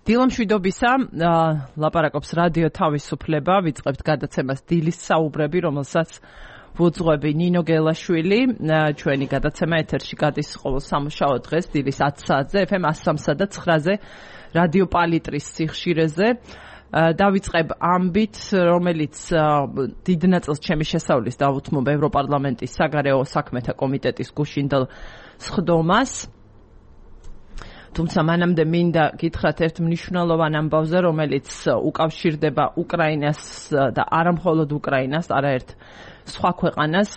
დილამშვიდობისა, ლაპარაკობს რადიო თავისუფლება, ვიწყებთ გადაცემას დილის საუბრები, რომელსაც ვუძღვები ნინო გელაშვილი, ჩვენი გადაცემა ეთერში გადის ყოველ სამუშაო დღეს დილის 10 საათზე, FM 103 და 9-ზე, რადიო პალიტრის სიხშირეზე. დავიწყებ ამბით, რომელიც დიდ ნაწილს ჩემი შესავლის დავუთმობ ევროპარლამენტის საგარეო საქმეთა კომიტეტის გუშინდელ სხდომას. თუმცა მანამდე მინდა გითხრათ ერთ მნიშვნელოვან ამბავზე, რომელიც უკავშირდება უკრაინას და არა მხოლოდ უკრაინას, არაერთ სხვა ქვეყანას.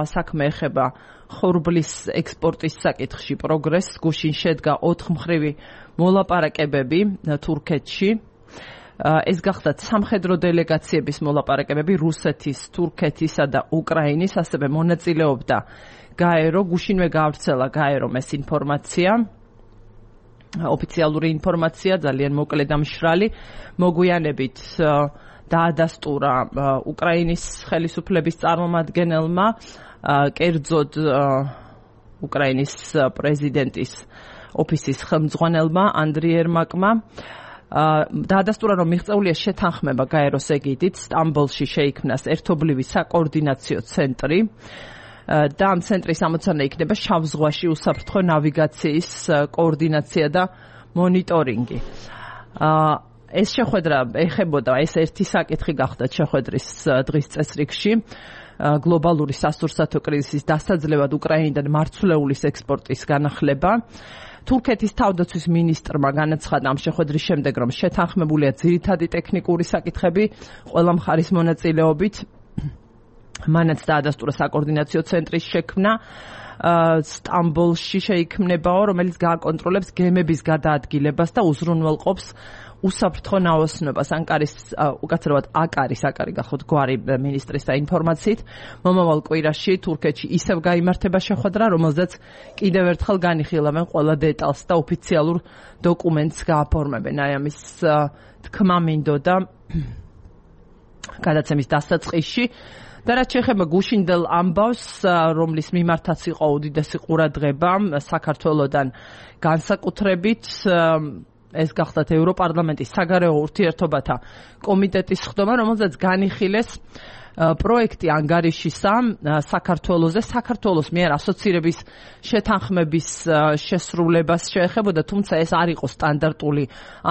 საქმე ეხება ხორბლის ექსპორტის საკითხში პროგრესს. გუშინ შედგა 4 მხრივი მოლაპარაკებები თურქეთში. ეს გახდათ სამხედრო დელეგაციების მოლაპარაკებები რუსეთის, თურქეთისა და უკრაინის, ასევე მონაწილეობდა გაერო. გუშინვე გავრცელა გაერომ ეს ინფორმაცია. ოფიციალური ინფორმაცია, ძალიან მოკლე და მშრალი. მოგვიანებით დაადასტურა უკრაინის ხელისუფლების წარმომადგენელმა, კერძოდ უკრაინის პრეზიდენტის ოფისის ხელმძღვანელმა ანდრიი ერმაკმა. დაადასტურა, რომ მიღწეულია შეთანხმება გაეროს ეგიდით, სტამბოლში შეიქმნას ერთობლივი საკოორდინაციო ცენტრი. და ამ ცენტრის ამოცანა იქნება შავ ზღვაში უსაფრთხო ნავიგაციის კოორდინაცია და მონიტორინგი. ეს შეხვედრა ეხებოდა, ეს ერთი საკითხი გახდა შეხვედრის დღის წესრიგში, გლობალური სასურსათო კრიზისის დასაძლევად უკრაინიდან მარცვლეულის ექსპორტის განახლება. თურქეთის თავდაცვის მინისტრმა განაცხადა ამ შეხვედრის შემდეგ, რომ შეთანხმებულია ძირითადი ტექნიკური საკითხები ყველა მხარის მონაწილეობით. მანაც დაადასტურა საკოორდინაციო ცენტრის შექმნა სტამბოლში შეიქმნებაო, რომელიც გააკონტროლებს გემების გადაადგილებას და უზრუნველყოფს უსაფრთხო ნაოსნობას. ანკარის, უკაცრავად აკარის გახოთ გვარი მინისტრის ინფორმაციით, მომავალ კვირაში თურქეთში ისევ გაიმართება შეხვედრა, რომელზეც კიდევ ერთხელ განიხილავენ ყველა დეტალს და ოფიციალურ დოკუმენტს გააფორმებენ. აი ამის თქმა მინდოდა გადაცემის დასაწყისში. და რაც შეეხება გუშინდელ ამბავს, რომლის მიმართაც იყო უდიდესი ყურადღება საქართველოდან განსაკუთრებით, ეს გახდათ ევროპარლამენტის საგარეო ურთიერთობათა კომიტეტის სხდომა, რომელზეც განიხილეს პროექტი ანგარიშისა საქართველოზე, საქართველოს მიერ ასოცირების შეთანხმების შესრულებას შეეხებოდა, თუმცა ეს არ იყო სტანდარტული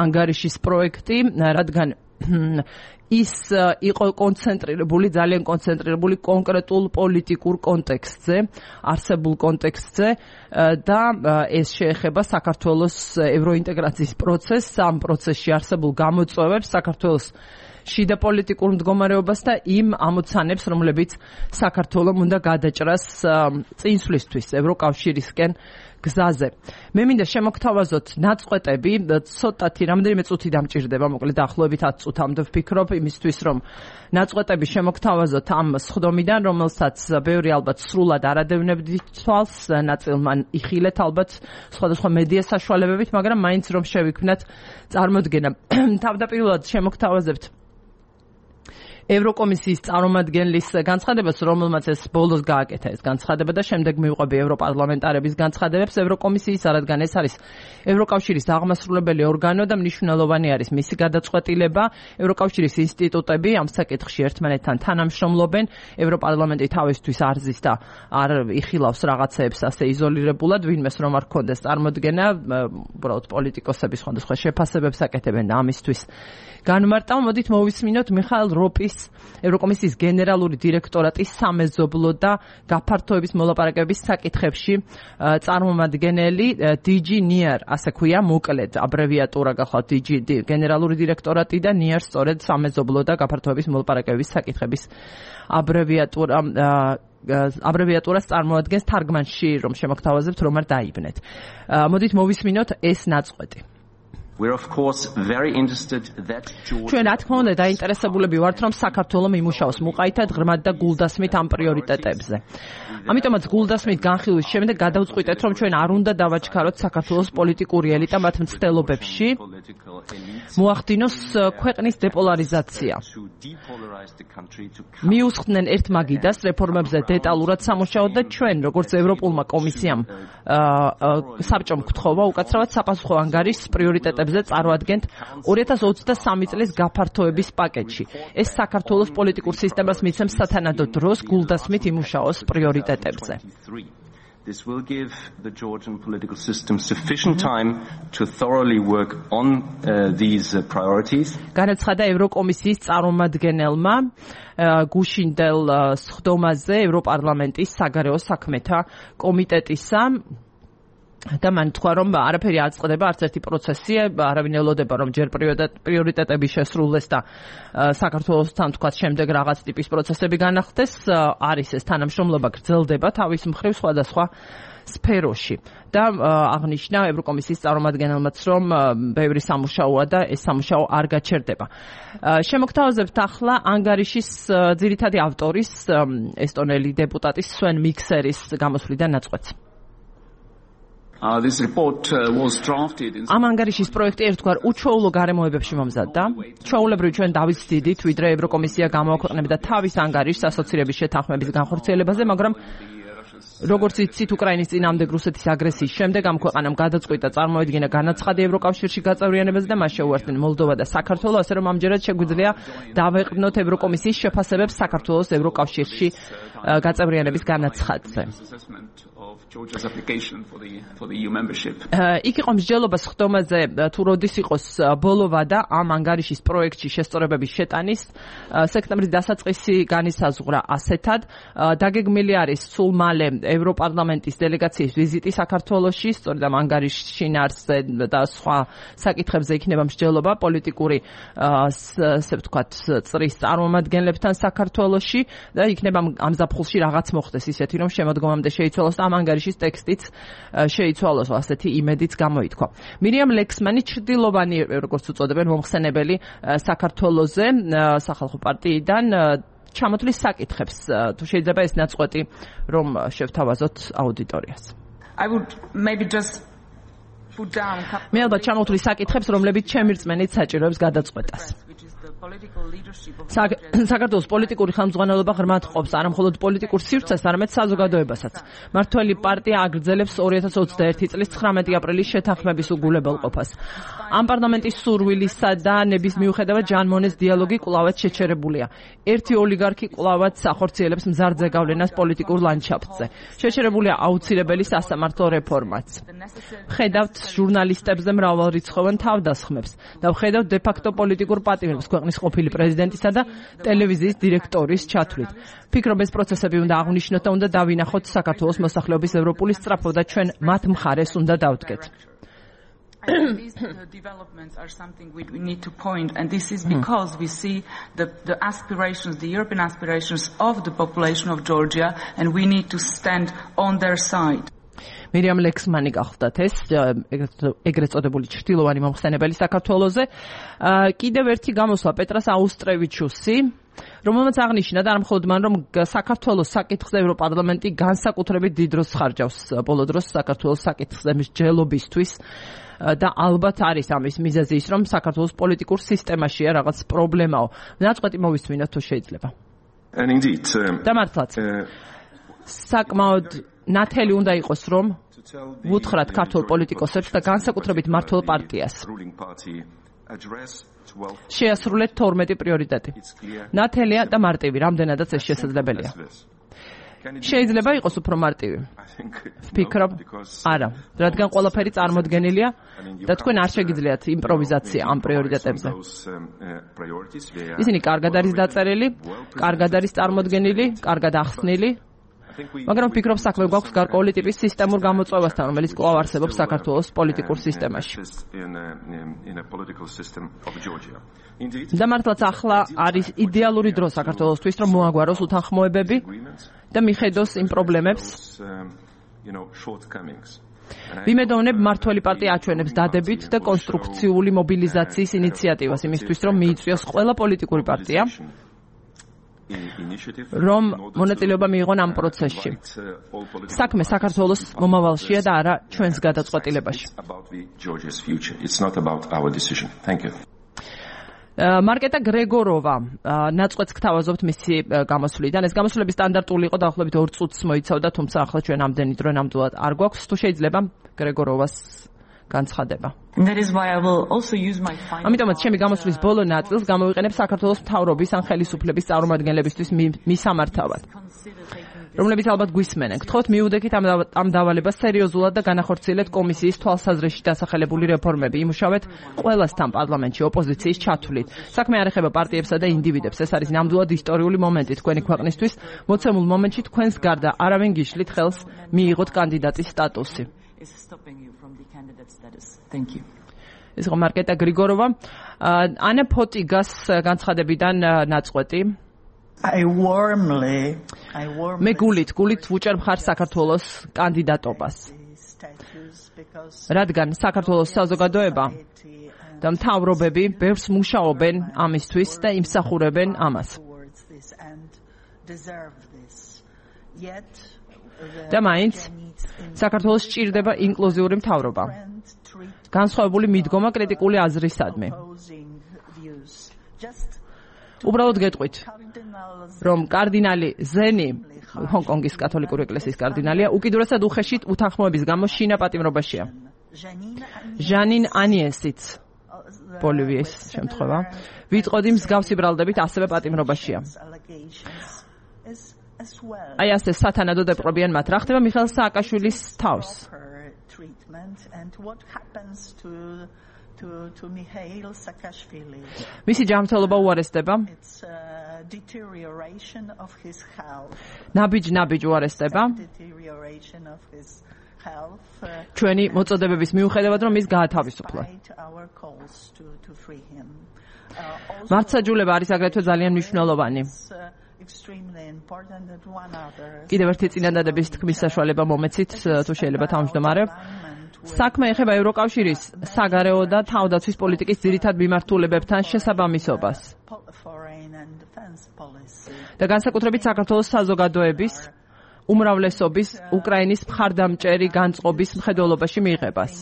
ანგარიშის პროექტი, რადგან ის იყო ძალიან კონცენტრირებული კონკრეტულ პოლიტიკურ კონტექსტზე, არსებულ კონტექსტზე და ეს შეეხება საქართველოს ევროინტეგრაციის პროცესს, ამ პროცესში არსებულ გამოწვევებს, საქართველოს შიდა პოლიტიკურ მდგომარეობას და იმ ამოცანებს, რომლებიც საქართველომ უნდა გადაჭრას წინსვლისთვის ევროკავშირისკენ გზაზე. მე მინდა შემოგთავაზოთ ნაწყვეტები, ცოტათი რამდენიმე წუთი დამჭირდება, მოკლედ დაახლოებით 10 წუთამდე ვფიქრობ, იმისთვის რომ ნაწყვეტები შემოგთავაზოთ ამ სხდომიდან, რომელსაც ბევრი ალბათ სრულად არ ადევნებდით თვალს, ნაწილმა იხილეთ ალბათ სხვადასხვა მედია საშუალებებით, მაგრამ მაინც რომ შევიქმნათ წარმოდგენა. თავდაპირველად შემოგთავაზებთ ევროკომისიის წარმომადგენლის განცხადებას, რომელმაც ეს ბოლოს გააკეთა ეს განცხადება და შემდეგ მივყვები ევროპარლამენტარების განცხადებებს ევროკომისიის, რადგან ეს არის ევროკავშირის აღმასრულებელი ორგანო და მნიშვნელოვანი არის მისი გადაწყვეტილება. ევროკავშირის ინსტიტუტები ამ საკითხში ერთმანეთთან თანამშრომლობენ, ევროპარლამენტი თავისთვის არ ზის და არ იხილავს რაღაცეებს ასე იზოლირებულად, ვინმეს რომ არ ქონდეს წარმოდგენა, უბრალოდ პოლიტიკოსები სხვადასხვა შეფასებებს აკეთებენ და ამისთვის განმარტავ. მოდით მოვისმინოთ მიხაილ როპის, ევროკომისიის გენერალური დირექტორატის სამეზობლო და გაფართოების მოლაპარაკებების საკითხებში წარმომადგენელი DG NIR, ასე ქვია მოკლედ აბრევიატურა გახლავთ DG გენერალური დირექტორატი და NIR სწორედ სამეზობლო და გაფართოების მოლაპარაკებების საკითხების აბრევიატურას წარმოადგენს, თარგმანში რომ შემოგთავაზებთ, რომ არ დაიბნეთ. მოდით მოვისმინოთ ეს ნაწყვეტი. ჩვენ რა თქმა უნდა დაინტერესებულები ვართ, რომ საქართველო მიმუშაოს მუყაითად, ღრმად და გულდასმით ამ პრიორიტეტებზე. ამიტომაც გულდასმით განხილვის შემდეგ გადავწყვიტეთ, რომ ჩვენ არ უნდა დავაჩქაროთ საქართველოს პოლიტიკური ელიტა მათ მცდელობებში, მოახდინოს ქვეყნის დეპოლარიზაცია. მიუსხდნენ ერთ მაგიდას რეფორმებზე დეტალურად სამუშაოდ და ჩვენ, როგორც ევროპულმა კომისიამ საბჭომ გთხოვა უკაცრავად საპასუხო ანგარიშს პრიორიტეტებზე პრიორიტეტებზე წარუადგენთ 2023 წლის გაფართოების პაკეტში. ეს საქართველოს პოლიტიკურ სისტემას მიცემს სათანადო დროს გულდასმით იმუშაოს პრიორიტეტებზე. This will give the Georgian political system sufficient time to thoroughly work on these priorities. განაცხადა ევროკომისიის წარმომადგენელმა გუშინდელ სხდომაზე ევროპარლამენტის საგარეო საქმეთა კომიტეტისა და მან თქვა, რომ არაფერი არ წყდება, არც ერთი პროცესი, არავინ ელოდება, რომ ჯერ პრიორიტეტები შესრულდეს და საქართველოსთან თქვა შემდეგ რაღაც ტიპის პროცესები განახდეს, არის ეს თანამშრომლობა გრძელდება თავის მხრივ სხვადასხვა სფეროში და აღნიშნა ევროკომისიის წარმომადგენელმაც, რომ ბევრი სამუშაოა და ეს სამუშაო არ გაჩერდება. შემოგთავაზებთ ახლა ანგარიშის ძირითადი ავტორის ესტონელი დეპუტატის სვენ მიქსერის გამოსვლიდან ნაწყვეტს. This report was drafted in ამ ანგარიშის პროექტი ერთგვარ უჩვეულო გარემოებებში მომზადდა. ჩვეულებრივ ჩვენ დავისდიდით, ვიდრე ევროკომისია გამოაქვეყნებდა თავის ანგარიშს ასოცირების შეთანხმების განხორციელებაზე, მაგრამ როგორც იცით, უკრაინის წინააღმდეგ რუსეთის აგრესიის შემდეგ ამ ქვეყანამ გადაწყვიტა წარმოედგინა განაცხადი ევროკავშირში გაწევრიანებაზე და მას შეუერთდნენ მოლდოვა და საქართველო, ასე რომ ამჯერად შეგვიძლია დავეყრდნოთ ევროკომისიის შეფასებებს საქართველოს ევროკავშირში გაწევრიანების განაცხადზე. Georgia's application for the EU membership. იქ იყო მსჯელობა სხდომაზე თუ როდის იყოს ბოლოვა და ამ ანგარიშის პროექტში შესწორებების შეტანის სექტემბრის დასაწყისი განისაზღვრა ასეთად. დაგეგმილი არის სულ მალე ევროპარლამენტის დელეგაციის ვიზიტი საქართველოში, სწორედ ამ ანგარიშის შინაარსზე და სხვა საკითხებზე იქნება მსჯელობა პოლიტიკური ასე ვთქვათ წრის წარმომადგენლებთან საქართველოში და იქნება ამ ზაფხულში რაღაც მოხდეს ისეთი, რომ შემოდგომამდე შეიცვალოს და ამ ანგარიშის ტექსტიც შეიცვალოს, ასეთი იმედიც გამოითქვა. მირიამ ლექსმანი ჩრდილოვანი, როგორც უწოდებენ, მომხსენებელი საქართველოზე სახალხო პარტიიდან ჩამოთვლის საკითხებს. თუ შეიძლება ეს ნაწყვეტი რომ შევთავაზოთ აუდიტორიას. I would maybe just put down მე ალბათ ჩამოთვლის საკითხებს, რომლებიც ჩემი რწმენით საჭიროებს გადაწყვეტას. საქართველოს პოლიტიკური ხელმძღვანელობა ღრმად ყოფს არამხოლოდ პოლიტიკურ სივრცეს, არამედ საზოგადოებასაც. მართველი პარტია აგრძელებს 2021 წლის 19 აპრილის შეთანხმების უგულებელყოფას. ამ პარლამენტის სურვილისა და ნების მიუხედავად ჟან მონეს დიალოგი კვლავაც შეჩერებულია. ერთი ოლიგარქი კვლავაც ახორციელებს მზარდ ზეგავლენას პოლიტიკურ ლანდშაფტზე. შეჩერებულია აუცილებელი სასამართლო რეფორმაც. ხედავთ ჟურნალისტებზე მრავალრიცხოვან თავდასხმებს და ხედავთ დე-ფაქტო პოლიტიკურ პატიმრებს ქვეყნის ყოფილი პრეზიდენტისა და ტელევიზიის დირექტორის ჩათვლით. ფიქრობ ეს პროცესები უნდა აღვნიშნოთ და უნდა დავინახოთ საქართველოს მოსახლეობის ევროპული სწრაფვა და ჩვენ მათ მხარეს უნდა დავდგეთ. These developments are something we need to point, and this is because we see the aspirations, the European aspirations of the population of Georgia, and we need to stand on their side. მირიამ ლექსმანი გახლდათ ეს ეგრეთ წოდებული ჩრდილოვანი მომხსენებელი საქართველოზე. კიდევ ერთი გამოსვლა პეტრას აუსტრევიჩუსი, რომელმაც აღნიშნა და არამხოლოდ მან, რომ საქართველოს საკითხზე ევროპარლამენტი განსაკუთრებით დიდ დროს ხარჯავს ბოლო დროს საქართველოს საკითხზე მსჯელობისთვის და ალბათ არის ამის მიზეზი ის, რომ საქართველოს პოლიტიკურ სისტემაშია რაღაც პრობლემაო. ნაწყვეტი მოვისმინოთ თუ შეიძლება. And indeed, და მართლაც საკმაოდ ნათელი უნდა იყოს, რომ ვუთხრათ ქართულ პოლიტიკოსებს და განსაკუთრებით მმართველ პარტიას შეასრულეთ 12 პრიორიტეტი. ნათელია და მარტივი, რამდენადაც ეს შესაძლებელია. შეიძლება იყოს უფრო მარტივი. ვფიქრობ, არა, რადგან ყველაფერი წარმოდგენილია და თქვენ არ შეგიძლიათ იმპროვიზაცია ამ პრიორიტეტებზე. ისინი კარგად არის დაწერილი, კარგად არის წარმოდგენილი, კარგად ახსნილი. მაგრამ ვფიქრობ, საქმე გვაქვს გარკვეული ტიპის სისტემურ გამოწვევასთან, რომელიც კვლავ არსებობს საქართველოს პოლიტიკურ სისტემაში. და მართლაც ახლა არის იდეალური დრო საქართველოსთვის, რომ მოაგვაროს უთანხმოებები და მიხედოს იმ პრობლემებს. ვიმედოვნებ, მმართველი პარტია აჩვენებს დადებით და კონსტრუქციული მობილიზაციის ინიციატივას იმისთვის, რომ მიიწვიოს ყველა პოლიტიკური პარტია, რომ მონაწილეობა მიიღონ ამ პროცესში. საქმე საქართველოს მომავალშია და არა ჩვენს გადაწყვეტილებაში. მარკეტა გრეგოროვა ნაწყვეტს გთავაზობთ მისი გამოსვლიდან. ეს გამოსვლები სტანდარტული იყო, დაახლოებით 2 წუთს მოიცავდა, თუმცა ახლა ჩვენ ამდენი დრო ნამდვილად არ გვაქვს. თუ შეიძლება გრეგოროვას განცხადება. ამიტომაც ჩემი გამოსვლის ბოლო ნაწილს გამოვიყენებ საქართველოს მთავრობის ან ხელისუფლების წარმომადგენლებისთვის მისამართავად, რომლებიც ალბათ გვისმენენ. გთხოვთ მიუდექით ამ დავალებას სერიოზულად და განახორციელეთ კომისიის თვალსაზრისში დასახელებული რეფორმები. იმუშავეთ ყველასთან პარლამენტში ოპოზიციის ჩათვლით. საქმე არ ეხება პარტიებსა და ინდივიდებს. ეს არის ნამდვილად ისტორიული მომენტი თქვენი ქვეყნისთვის. მოცემულ მომენტში თქვენს გარდა არავინ გიშლით ხელს მიიღოთ კანდიდატის სტატუსი. ეს იყო მარკეტა გრიგოროვა. ანა ფოტიგას განცხადებიდან ნაწყვეტი. მე გულით ვუჭერ მხარს საქართველოს კანდიდატობას, რადგან საქართველოს საზოგადოება და მთავრობები ბევრს მუშაობენ ამისთვის და იმსახურებენ ამას. და მაინც საქართველოს სჭირდება ინკლუზიური მთავრობა, განსხვავებული მიდგომა კრიტიკული აზრისადმი. უბრალოდ გეტყვით, რომ კარდინალი ზენი, ჰონკონგის კათოლიკური ეკლესიის კარდინალია, უკიდურესად უხეშით უთანხმოების გამო შინა პატიმრობაშია. ჟანინ ანიესიც, ბოლივიის შემთხვევა, ვიტყოდი მსგავსი ბრალდებით ასევე პატიმრობაშია. აი ასე სათანადო დაპყრობიან მათ. რა ხდება მიხეილ სააკაშვილის თავს? მისი ჯანმრთელობა უარესდება. ნაბიჯ უარესდება. ჩვენი მოწოდებების მიუხედავად, რომ ის გაათავისუფლა. მართლმსაჯულება არის აგრეთვე ძალიან მნიშვნელოვანი. კიდევ ერთი წინადადების თქმის საშუალება მომეცით, თუ შეიძლება თავმჯდომარე. საქმე ეხება ევროკავშირის საგარეო და თავდაცვის პოლიტიკის ძირითად მიმართულებებთან შესაბამისობას და განსაკუთრებით საქართველოს საზოგადოების უმრავლესობის უკრაინის მხარდამჭერი განწყობის მხედველობაში მიიღებას.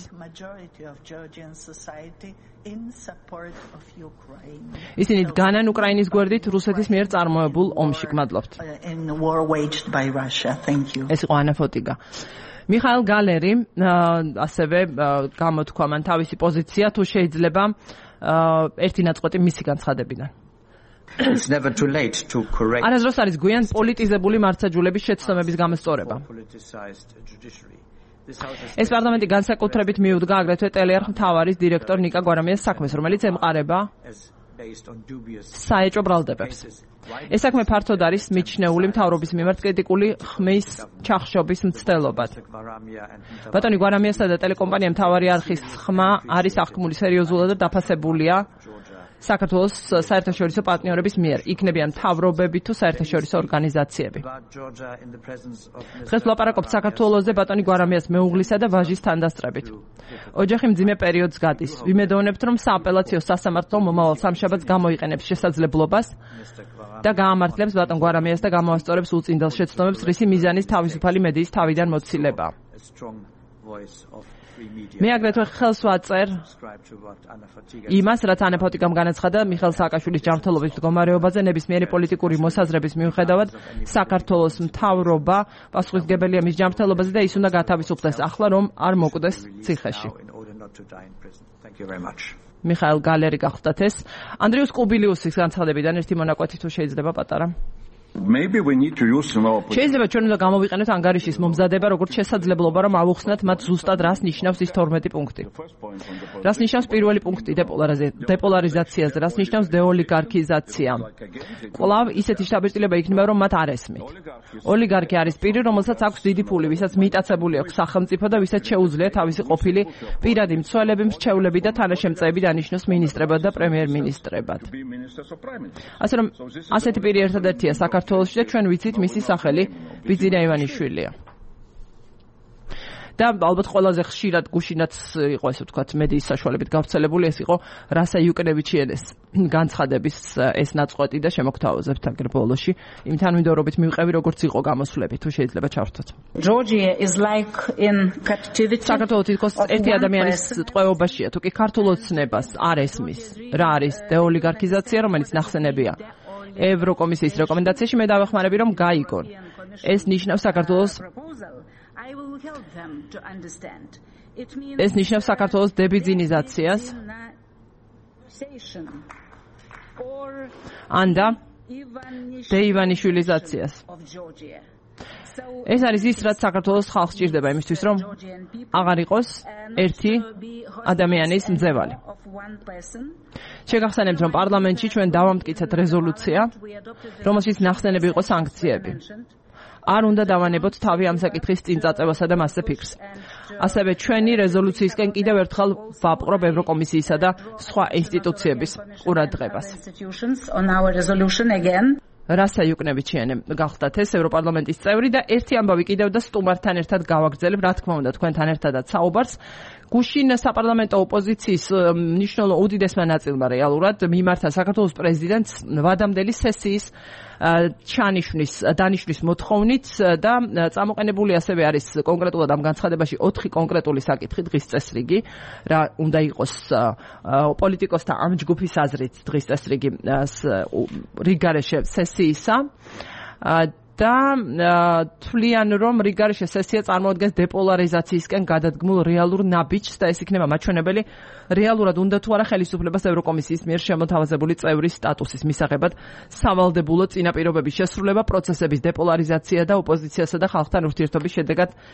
ისინი დგანან უკრაინის გვერდით რუსეთის მიერ წარმოებულ ომში. გმადლობთ. ეს იყო ანა ფოტიგა. მიხაილ გალერი ასევე გამოთქვა მან თავისი პოზიცია, თუ შეიძლება ერთი ნაწყვეტი მისი განცხადებიდან. არასდროს არის გვიან პოლიტიზებული მართლმსაჯულების შეცდომების გამოსწორება. ეს პარლამენტი განსაკუთრებით მიუდგა აგრეთვე ტელეარხ მთავარის დირექტორ ნიკა გვარამიას საქმეს, რომელიც ემყარება საეჭვო ბრალდებებს. ეს საქმე ფართოდ არის მიჩნეული მთავრობის მიმართ კრიტიკული ხმის ჩახშობის მცდელობად. ბატონი გვარამიასა და ტელეკომპანია მთავარი არხის ხმა არის აღქმული სერიოზულად და დაფასებულია საქართველოს საერთაშორისო პარტნიორების მიერ, იქნებიან მთავრობები თუ საერთაშორისო ორგანიზაციები. დღეს ვლაპარაკობთ საქართველოზე ბატონი გვარამიას მეუღლისა და ვაჟის თანდასწრებით. ოჯახი მძიმე პერიოდს გადის. ვიმედოვნებთ, რომ სააპელაციო სასამართლო მომავალ სამშაბათს გამოიყენებს შესაძლებლობას და გაამართლებს ბატონ გვარამიას და გამოასწორებს უწინდელ შეცდომებს, რისი მიზანის თავისუფალი მედიის თავიდან მოცილება. მე აგრეთვე ხელს ვაწერ იმას, რაც ანა ფოტიგამ განაცხადა მიხეილ სააკაშვილის ჯანმრთელობის მდგომარეობაზე ნებისმიერი პოლიტიკური მოსაზრების მიუხედავად საქართველოს მთავრობა პასუხისმგებელია მის ჯანმრთელობაზე და ის უნდა გათავისუფლდეს ახლა, რომ არ მოკვდეს ციხეში. მიხაილ გალერი გახლდათ ეს. ანდრიუს კუბილიუსის განცხადებიდან ერთი მონაკვეთი თუ შეიძლება პატარა. შეიძლება ჩვენ უნდა გამოვიყენოთ ანგარიშის მომზადება როგორც შესაძლებლობა, რომ ავუხსნათ მათ ზუსტად რას ნიშნავს ის 12 პუნქტი. რას ნიშნავს პირველი პუნქტი დეპოლარიზაციაზე, რას ნიშნავს დეოლიგარქიზაცია. კვლავ ისეთი შთაბეჭდილება იქნება, რომ მათ არ ესმით. ოლიგარქი არის პირი, რომელსაც აქვს დიდი ფული, ვისაც მიტაცებული აქვს სახელმწიფო და ვისაც შეუძლია თავისი ყოფილი პირადი მცველები, მრჩევლები და თანაშემწეები დანიშნოს მინისტრებად და პრემიერ-მინისტრებად. ასე რომ ასეთი პირი ერთადერთია საქართველოში და ჩვენ ვიცით მისი სახელი ბიძინა ივანიშვილია. და ალბათ ყველაზე ხშირად გუშინაც იყო ესე ვთქვათ მედიის საშუალებით გავრცელებული ეს იყო რასა იუკნევიჩიენეს განცხადების ეს ნაწყვეტი და შემოგთავაზებთ აგერ ბოლოში იმ თანმიმდევრობით მივყევი როგორც იყო გამოსვლები თუ შეიძლება ჩავრთოთ. Georgia is like in captivity. საქართველოს თითქოს ერთი ადამიანის ტყვეობაშია, თუ კი ქართულ ოცნებას არ ესმის რა არის დეოლიგარქიზაცია, რომელიც ნახსენებია ევროკომისიის რეკომენდაციაში, მე დავეხმარები რომ გაიგონ. ეს ნიშნავს საქართველოს I will help them to understand. ეს ნიშნავს საქართველოს დებიძინიზაციას ან და დეივანიშვილიზაციას. ეს არის ის, რაც საქართველოს ხალხს სჭირდება იმისთვის, რომ აღარ იყოს ერთი ადამიანის მძევალი. შეგახსენებთ, რომ პარლამენტში ჩვენ დავამტკიცეთ რეზოლუცია, რომელშიც ნახსენები იყო სანქციები. არ უნდა დავანებოთ თავი ამ საკითხის წინ წაწევასა და მასზე ფიქრს. ასევე ჩვენი რეზოლუციისკენ კიდევ ერთხელ ვაპყრობ ევროკომისიისა და სხვა ინსტიტუციების ყურადღებას. რასა იუკნევიჩიანე გახდათ ეს ევროპარლამენტის წევრი და ერთი ამბავი კიდევ და სტუმართან ერთად გავაგრძელებ, რა თქმა უნდა, თქვენთან ერთადაც საუბარს. გუშინ საპარლამენტო ოპოზიციის მნიშვნელოვან უდიდესმა ნაწილმა რეალურად მიმართა საქართველოს პრეზიდენტს ვადამდელი სესიის დანიშნვის მოთხოვნით და წამოყენებული ასევე არის კონკრეტულად ამ განცხადებაში 4 კონკრეტული საკითხი დღის წესრიგი, რა უნდა იყოს პოლიტიკოსთა ამ ჯგუფის აზრით დღის წესრიგი რიგარეშე სესიისა და თვლიან, რომ რიგარეშე სესია წარმოადგენს დეპოლარიზაციისკენ გადადგმულ რეალურ ნაბიჯს და ეს იქნება მაჩვენებელი რეალურად უნდა თუ არა ხელისუფლებას ევროკომისიის მიერ შემოთავაზებული წევრის სტატუსის მისაღებად სავალდებულო წინაპირობების შესრულება, პროცესების დეპოლარიზაცია და ოპოზიციასა და ხალხთან ურთიერთობის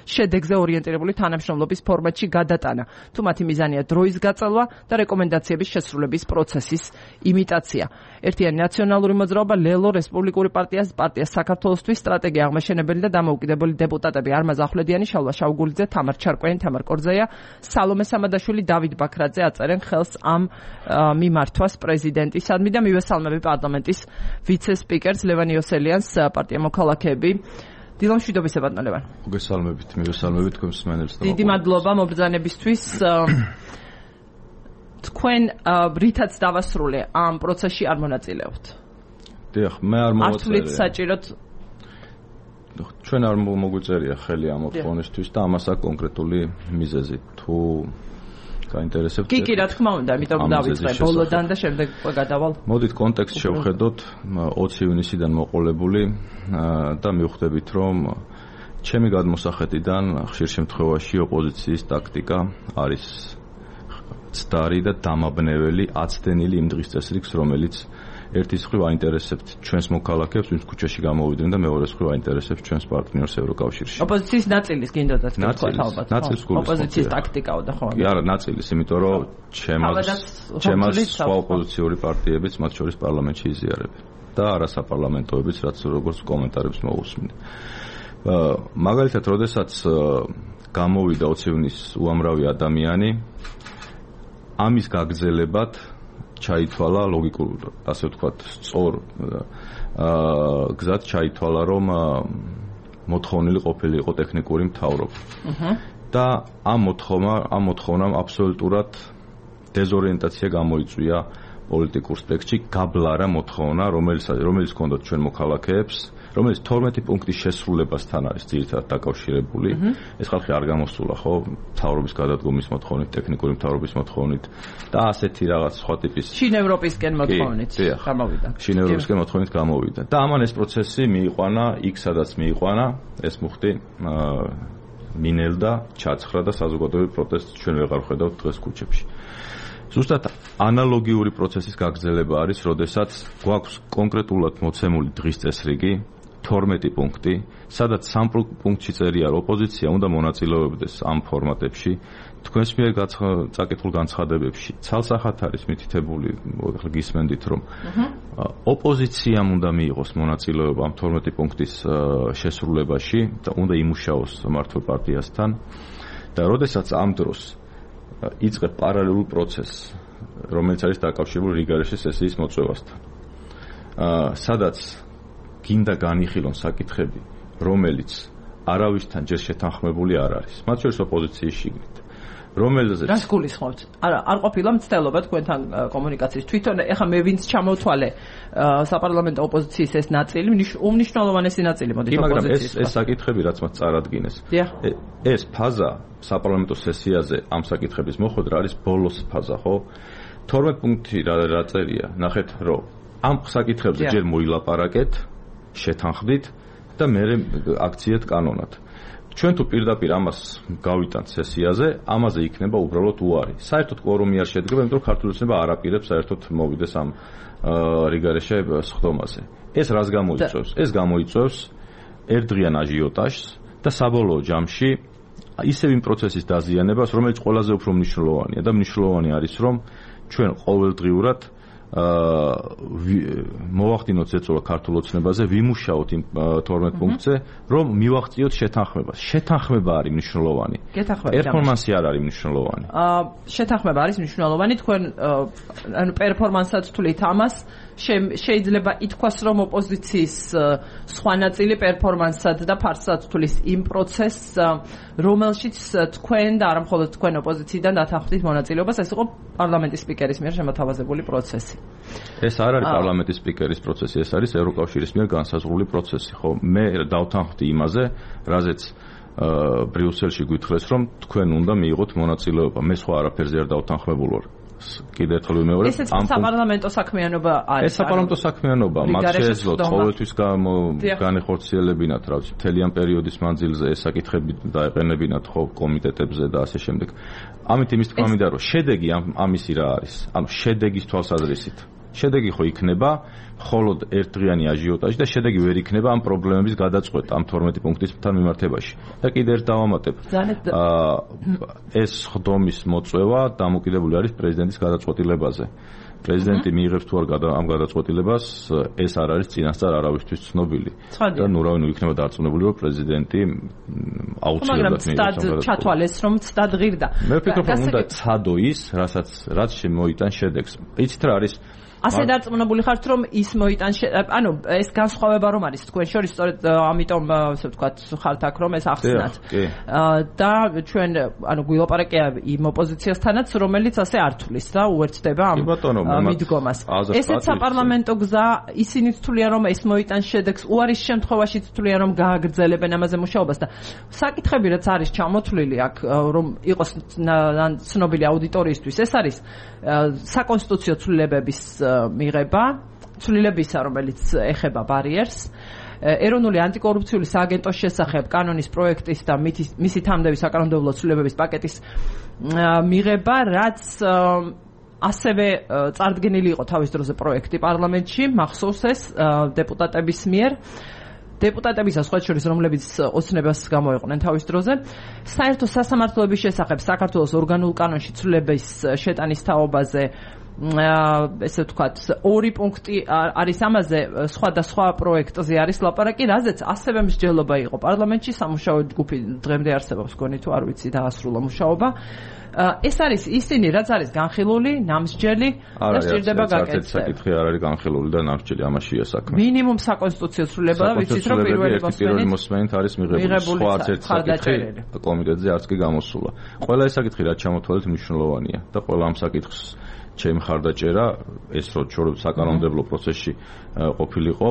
შედეგზე ორიენტირებული თანამშრომლობის ფორმატში გადატანა. თუ მათი მიზანია დროის გაწელვა და რეკომენდაციების შესრულების პროცესის იმიტაცია. ერთიანი ნაციონალური მოძრაობა, ლელო, რესპუბლიკური პარტია საქართველოსთვის, სტრატეგია აღმაშენებელი და დამოუკიდებელი დეპუტატები არმაზ ახვლედიანი, შალვა შავგულიძე, თამარ ჩარკვიანი, თამარ კორძეია, სალომე სამადაშვილი, დავით ბაქრაძე აწერენ ხელს ამ მიმართვას პრეზიდენტისადმი და მივესალმები პარლამენტის ვიცე-სპიკერს ლევან იოსელიანს, პარტია მოქალაქეები. დილო მშვიდობისა ბატონო ლევან. მოგესალმებით, მივესალმებით თქვენს მსმენელს და დიდი მადლობა მობრძანებისთვის. თქვენ რითაც დავასრულე ამ პროცესში არ მონაწილეობთ. დიახ, მე არ მოვაწერე. ართულით საჭიროთ ჩვენ არ მოგვიწერია ხელი ამ მოთხოვნისთვის და ამას აქვს კონკრეტული მიზეზი. თუ გაინტერესებთ. კი, რა თქმა უნდა, ამიტომ დავიწყე ბოლოდან და შემდეგ გადავალ. მოდით კონტექსტ შევხედოთ 20 ივნისიდან მოყოლებული და მივხვდებით, რომ ჩემი გადმოსახედიდან ხშირ შემთხვევაში ოპოზიციის ტაქტიკა არის ცდარი და დამაბნეველი, აცდენილი იმ დღის წესრიგს, რომელიც ერთის მხრივ აინტერესებთ ჩვენს მოქალაქეებს, ვინც ქუჩაში გამოვიდნენ და მეორეს მხრივ აინტერესებთ ჩვენს პარტნიორს ევროკავშირში. ოპოზიციის ნაწილის გინდოდათ ნაწილის ოპოზიციის ტაქტიკაოდა ხო? კი, არა, ნაწილის, იმიტომ რომ ჩემას სხვა ოპოზიციური პარტიებიც, მათ შორის პარლამენტში იზიარებენ და არასაპარლამენტოებიც, რაც როგორც კომენტარებს მოусმინე. მაგალითად, როდესაც გამოვიდა 20 ივნისს უამრავი ადამიანი, ამის გაგრძელებად ჩაითვალა ლოგიკურ, ასე ვთქვათ, სწორ გზად ჩაითვალა, რომ მოთხოვნილი ყოფილიყო ტექნიკური მთავრობა. და ამ მოთხოვნამ აბსოლუტურად დეზორიენტაცია გამოიწვია პოლიტიკურ სპექტრში, გაბლარა მოთხოვნა, რომელიც ჰქონდათ ჩვენ მოქალაქეებს, რომელიც 12 პუნქტის შესრულებასთან არის ძირითადად დაკავშირებული. ეს ხალხი არ გამოსულა, ხო, მთავრობის გადადგომის მოთხოვნით, ტექნიკური მთავრობის მოთხოვნით და ასეთი რაღაც სხვა ტიპის შინ ევროპისკენ მოთხოვნით გამოვიდა. შინ ევროპისკენ მოთხოვნით გამოვიდა. და ამან ეს პროცესი მიიყვანა იქ, სადაც მიიყვანა, ეს მუხტი მინელდა, ჩაცხრა და საზოგადოებრივ პროტესტს ჩვენ ვეღარ ვხედავთ დღეს ქუჩებში. ზუსტად ანალოგიური პროცესის გაგრძელება არის, როდესაც გვაქვს კონკრეტულად მოცემული დღის წესრიგი, 12 პუნქტი, სადაც 3 პუნქტში წერია, რომ ოპოზიცია უნდა მონაწილეობდეს ამ ფორმატებში, თქვენს მიერ წაკითხულ განცხადებებში. ცალსახად არის მითითებული, გისმენდით, რომ ოპოზიციამ უნდა მიიღოს მონაწილეობა ამ 12 პუნქტის შესრულებაში და უნდა იმუშაოს მმართველ პარტიასთან და როდესაც ამ დროს იწყებ პარალელურ პროცესს, რომელიც არის დაკავშირებული რიგარეშე სესიის მოწვევასთან. სადაც გინდა განიხილონ საკითხები, რომელიც არავისთან ჯერ შეთანხმებული არ არის. მათ შორის ოპოზიციის შიგნით. რომელზეც რას გულისხმობთ? არ ყოფილა მცდელობა თქვენთან კომუნიკაციის. თვითონ ეხლა მე ვინც ჩამოვთვალე საპარლამენტო ოპოზიციის ეს ნაწილი, უმნიშვნელოვანესი ნაწილი მოდი ოპოზიციის. ეს საკითხები, რაც მათ წარადგინეს. ეს ფაზა საპარლამენტო სესიაზე ამ საკითხების მოხვედრა არის ბოლოს ფაზა, ხო? 12 პუნქტი რა წერია? ნახეთ, რომ ამ საკითხებზე ჯერ მოილაპარაკეთ, შეთანხმდით და მერე აქციეთ კანონად. ჩვენ თუ პირდაპირ ამას გავიტანთ სესიაზე, ამაზე იქნება უბრალოდ უარი. საერთოდ კვორუმი არ შედგება, იმიტომ რომ ქართული ოცნება არ აპირებს საერთოდ მოვიდეს ამ რიგარეშე სხდომაზე. ეს რას გამოიწვევს? ეს გამოიწვევს ერთდღიან აჟიოტაჟს და საბოლოო ჯამში ისევ იმ პროცესის დაზიანებას, რომელიც ყველაზე უფრო მნიშვნელოვანია და მნიშვნელოვანი არის, რომ ჩვენ ყოველდღიურად მოვახდინოთ ზეწოლა ქართულ ოცნებაზე, ვიმუშაოთ იმ 12 პუნქტზე, რომ მივახციოთ შეთანხმებას. შეთანხმება არის მნიშვნელოვანი. პერფორმანსი არ არის მნიშვნელოვანი. შეთანხმება არის მნიშვნელოვანი. თქვენ ანუ პერფორმანსად თვლით ამას, შეიძლება ითქვას, რომ ოპოზიციის სხვა ნაწილი პერფორმანსად და ფარსად თვლის იმ პროცესს, რომელშიც თქვენ და არა მხოლოდ თქვენ ოპოზიციიდან დათანხმდით მონაწილეობას, ეს იყო პარლამენტის სპიკერის მიერ შემოთავაზებული პროცესი. ეს არ არის პარლამენტის სპიკერის პროცესი, ეს არის ევროკავშირის მიერ განსაზღვრული პროცესი, ხო? მე დავთანხმდი იმაზე, რაზეც ბრიუსელში გვითხრეს, რომ თქვენ უნდა მიიღოთ მონაწილეობა. მე სხვა არაფერზე არ დავთანხმებულ ვარ. კიდევ ერთხელ ვიმეორებ, ამ საპარლამენტო საქმიანობა არის. ეს საპარლამენტო საქმიანობა, მათ შეეძლოთ ყოველთვის განეხორციელებინათ, რა ვიცი, მთელი ამ პერიოდის მანძილზე ეს საკითხები დაეყენებინათ ხო კომიტეტებზე და ასე შემდეგ. ამით იმის თქმა მინდა, რომ შედეგი ამისი რა არის? ანუ შედეგის თვალსაზრისით. შედეგი ხო იქნება მხოლოდ ერთდღიანი აჟიოტაჟი და შედეგი ვერ იქნება ამ პრობლემების გადაწყვეტა ამ 12 პუნქტისთან მიმართებაში. და კიდევ ერთ დავამატებ. ეს ხდომის მოწვევა დამოკიდებული არის პრეზიდენტის გადაწყვეტილებაზე. პრეზიდენტი მიიღებს თუ არ ამ გადაწყვეტილებას, ეს არ არის წინასწარ არავისთვის ცნობილი. და ნუ რავი, იქნება დარწმუნებული, რომ პრეზიდენტი აუცილებლად მიიღებს ამ გადაწყვეტილებას. ჩათვალეს, რომ ცდად ღირდა. მე ვფიქრობ, რომ უნდა ცადო ის, რაც შემოიტან შედეგს. იცით რა არის? ასე დარწმუნებული ხართ, რომ ის მოიტან ანუ ეს განსხვავება რომ არის თქვენ შორის, სწორედ ამიტომ ასე ვთქვათ, ხართ აქ რომ ეს ახსნათ. და ჩვენ ანუ გვილაპარაკია იმ ოპოზიციასთანაც, რომელიც ასე არ თulis და უერთდება ამ მიდგომას. ესეც საპარლამენტო გზა, ისინიც თვლიან რომ ეს მოიტან შედეგს, უარის შემთხვევაშიც თვლიან რომ გააგრძელებენ ამაზე მუშაობას და საკითხები რაც არის ჩამოთვლილი აქ, რომ იყოს ცნობილი აუდიტორიისთვის, ეს არის საკონსტიტუციო ცვლილებების მიღება, ცვლილებისა, რომელიც ეხება ბარიერს, ეროვნული ანტიკორუფციული სააგენტოს შესახებ კანონის პროექტის და მისი თამდები საკანონმდებლო ცვლილებების პაკეტის მიღება, რაც ასევე წარდგენილი იყო თავის დროზე პროექტი პარლამენტში, მახსოვს ეს დეპუტატების მიერ. დეპუტატებისა სხვა შორის, რომლებიც ოცნებას გამოიყვნენ თავის დროზე, საერთო სასამართლოების შესახებ საქართველოს ორგანულ კანონში ცვლილების შეტანის თაობაზე ესე ვთქვათ, 2 პუნქტი არის ამაზე, სხვადასხვა პროექტზე არის ლაპარაკი, რაზეც ასევე მსჯელობა იყო პარლამენტში, სამუშაო ჯგუფი დღემდე არსებობს, გონი თუ არ ვიცი, დაასრულა მუშაობა. ეს არის ისინი, რაც არის განხილული, ნამსჯელი და სჭირდება გაკეთება. საკითხი არ არის განხილული და ნამსჯელი, ამაშია საქმე. მინიმუმ საკონსტიტუციო ცვლილება და ვიცით, რომ პირველი მოსმენით არის მიღებული. სხვა არც ერთ საკითხი კომიტეტზე არც კი გამოსულა. ყველა ეს საკითხი რაც ჩამოთვალეთ მნიშვნელოვანია და ყველა ამ საკითხს ჩემი ხარდაჭერა ეს რომ საკანონმდებლო პროცესში ყოფილიყო,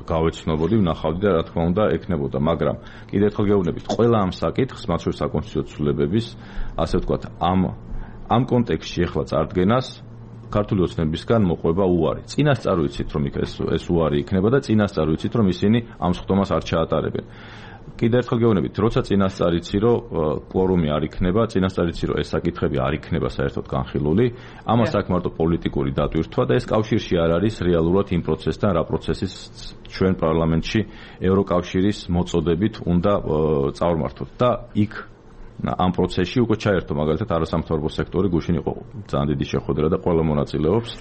გავეცნობოდი, ვნახავდი და რა თქმა უნდა ეკნებოდა, მაგრამ კიდევ ერთხელ გეუბნებით, ყველა ამ საკითხს, მათ შორის საკონსტიტუციო ცვლილებების, ასე ვთქვათ, ამ კონტექსტში ახლა წარდგენას ქართული ოცნებისგან მოყვება უარი. წინასწარ ვიცით, რომ ეს უარი იქნება და წინასწარ ვიცით, რომ ისინი ამ სხდომას არ ჩაატარებენ. კიდევ ერთხელ გეუბნებით, როცა წინასწარ იცი, რომ კვორუმი არ იქნება, წინასწარ იცი, რომ ეს საკითხები არ იქნება საერთოდ განხილული, ამას აქვს მარტო პოლიტიკური დატვირთვა და ეს კავშირში არ არის რეალურად იმ პროცესთან, რა პროცესის ჩვენ პარლამენტში ევროკავშირის მოწოდებით უნდა წავმართოთ და იქ ამ პროცესში უკვე ჩაერთო მაგალითად არასამთავრობო სექტორი, გუშინ იყო ძალიან დიდი შეხვედრა და ყველა მონაწილეობს.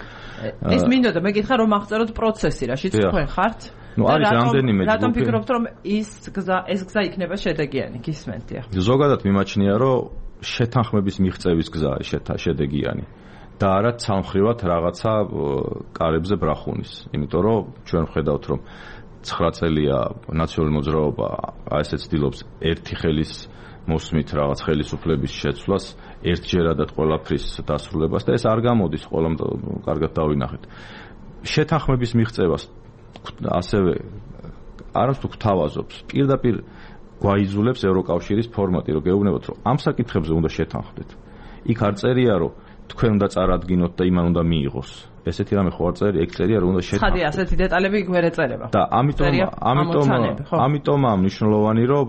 ეს მინდოდა მეკითხა რომ აღწეროთ პროცესი, რაშიც თქვენ ხართ? ნუ არის რამდენიმე ჯგუფი. რატომ ფიქრობთ რომ ეს გზა იქნება შედეგიანი? გისმენთ ახლა. ზოგადად მიმაჩნია რომ შეთანხმების მიღწევის გზა არის შედეგიანი და არა ცალმხრივად რაღაცა კარებზე ბრახუნის. იმიტომ რომ ჩვენ ვხედავთ რომ 9 წელია ნაციონალური მოძრაობა ასე ცდილობს ერთი ხელის მოსმით რაღაც ხელისუფლების შეცვლას, ერთჯერადად ყველაფრის დასრულებას და ეს არ გამოდის, ყველამ კარგად დავინახეთ. შეთანხმების მიღწევას ასევე არამც თუ გთავაზობს, პირდაპირ გვაიძულებს ევროკავშირის ფორმატი, რომ გეუბნებოთ, რომ ამ საკითხებზე უნდა შეთანხმდეთ. იქ არ წერია, რომ თქვენ უნდა წარადგინოთ და იმან უნდა მიიღოს. ესეთი რამე ხო არ წერია, ეგ წერია რომ უნდა შეთანხმდეს. ხადი ასეთი დეტალები იქ ვერ ეწერება. და ამიტომაა მნიშვნელოვანი რომ